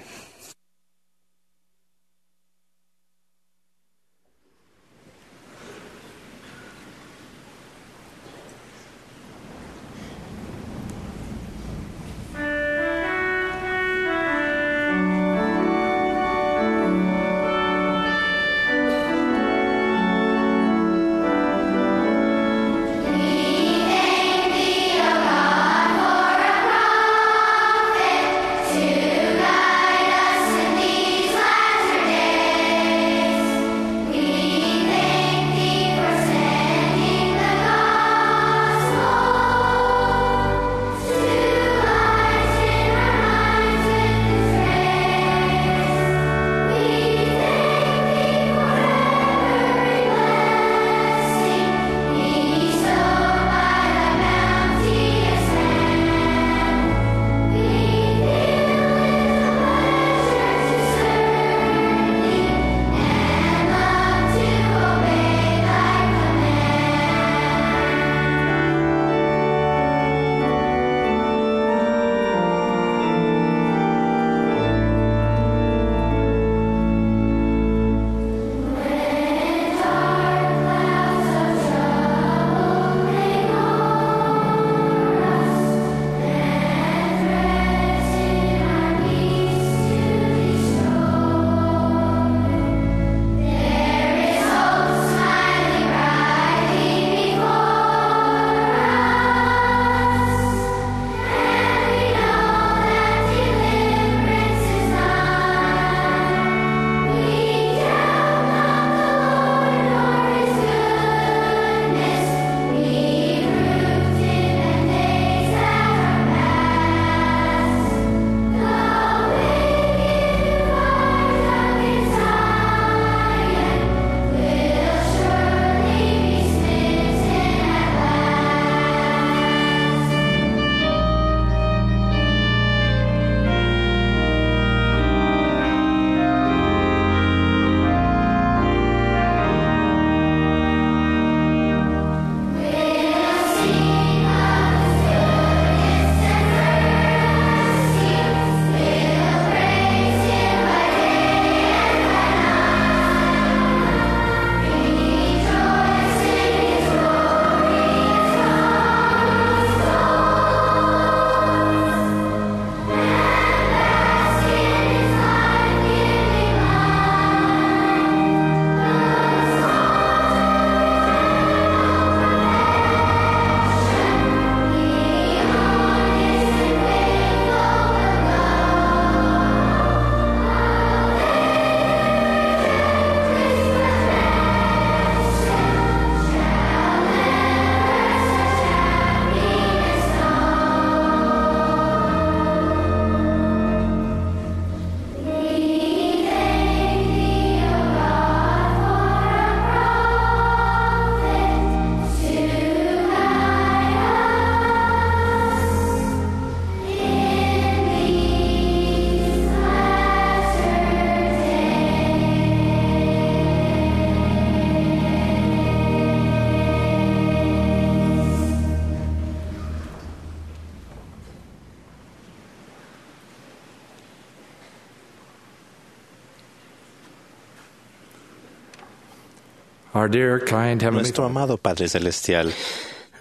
Our dear, kind Heavenly Nuestro Father. Amado Padre Celestial,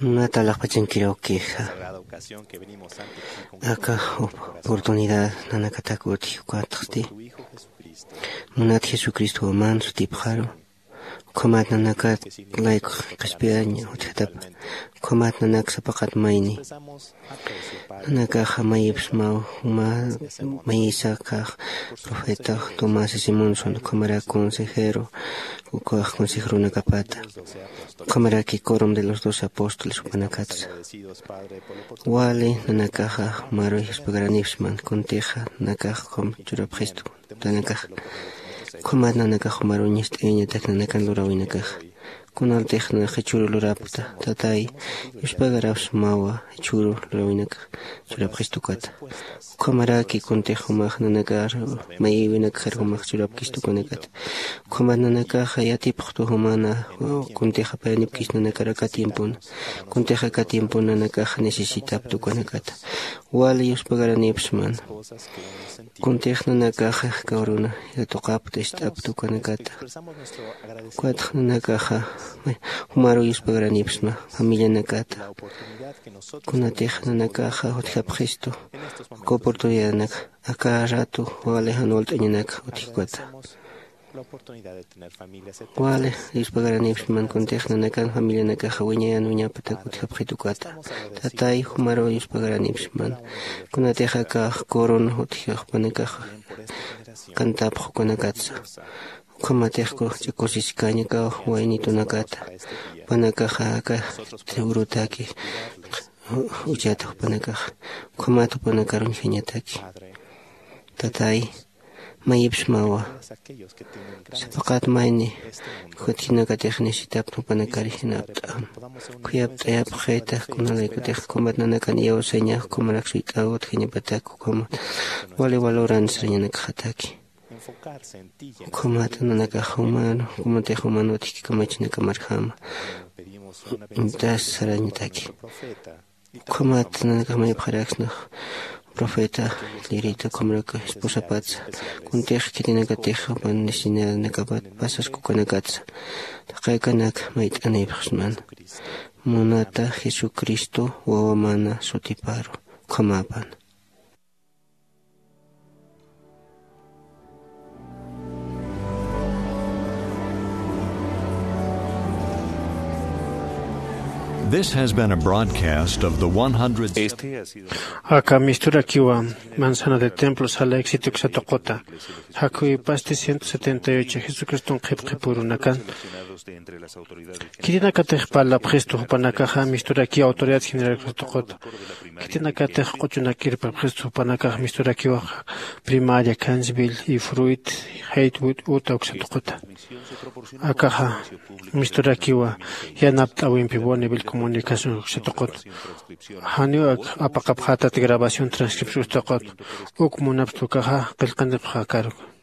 Munata alaxpachankirux kixa. Sagrada ocasión que venimos ante ti con aka oportunidad nanakatak utji ukatxti. Munat Jesucristo waman sutipxaru. Ukhamat nanakat layku qhispiyaña utjatapa. Ukhamat nanak sapaqat mayni. Nanakaxa mayipsmaw juma mayisakax profeta Tomás Simonson, ukhamarak consejero, ukax consejeronakapata. Ukhamaraki quorum de los doce apóstoles jupanakatsa. Wali nanakaxa jumaru yuspagaranipsman, kuntixa nanakax ukham churapxistu. Nanakax ukhamat nanakax jumaru ñast'ayañatak nanakan lurawinakax. Kunaltix nanax jichhüru lurapta, Tatay, yuspagarapsmawa jichhüru lurawinakax churapxistukata. Ukhamaraki kuntix jumax nanakar mayïwinakxar jumax churapkistukanakata. Ukhamat nanakaxa yatipxtu jumana, kuntixa payanipkis nanakar aka tiempona. Kuntixa aka tiempona nanakaxa necesitaptukanakata. Wali yuspagaranipsman. Kuntix nanakaxa kawruna yatuqapta ist'apta ukanakata. Ukatx nanakaxa jumaru yuspagaranipsma familianakata. Kunatix nanakaxa utjapxistu uka oportunidadnak aka ratu wali jan walt'añanak utjkata. Wali yuspagaranipsman kuntix nanakan familianakaxa wiñayan wiñapatak utjapxitukata. Tatay, jumaru yuspagaranipsman. Kunatix aka quorum utji jupanakax cantapx ukanakatsa. Ukhamatix kusiskaña aka waynitunakata. Jupanakaxa aka urutaki uchata jupanakax. Ukhamat jupanakar uñjañataki. Tatay, mayipsmawa. Sapaqat mayni jutjinakatix necesitapta jupanakar jinapt'am. Khuyapt'ayapxita kunalaykutix ukhamat nanakan iyawsañax ukhamarak suyt'aw utjañapatak ukhamat wali valoran sarañanakxataki. Ukhamat nanakax juman, ukhamatix juman utjki kamachinakamarjama. Intas sarañataki. Ukhamat nanakax mayipxaraksnax profeta, lirita, ukhamarak esposapatsa. Kuntix khitinakatix jupan necesidadnakapat pasaskukanakatsa. Taqaykanak mayt'anipxsman. Munata Jesucristo wawamana sutiparu. Ukhamapan. This has been a broadcast of the one hundred. Este ha sido Aka misturakiwa manzana de templo sala éxito uksatuquta. Jakuypasti ciento setenta y ocho Jesucriston qhipqhipurunakan. Khitinakatix parlapxistu jupanakaxa misturakiw autoridad general uksatuquta. Khitinakatix q'uchunak irpapxistu jupanakax misturakiwaxa primaria, Cansville y Fruit, Haywood, Utah uksatuquta. Akaxa misturakiwa yanapt'awimpi Bonneville comunicación uksatuquta. Janiw ak-, apaqapxatat grabación transcripción uksatuquta. Uk munapxtukaxa qillqanipxakaru.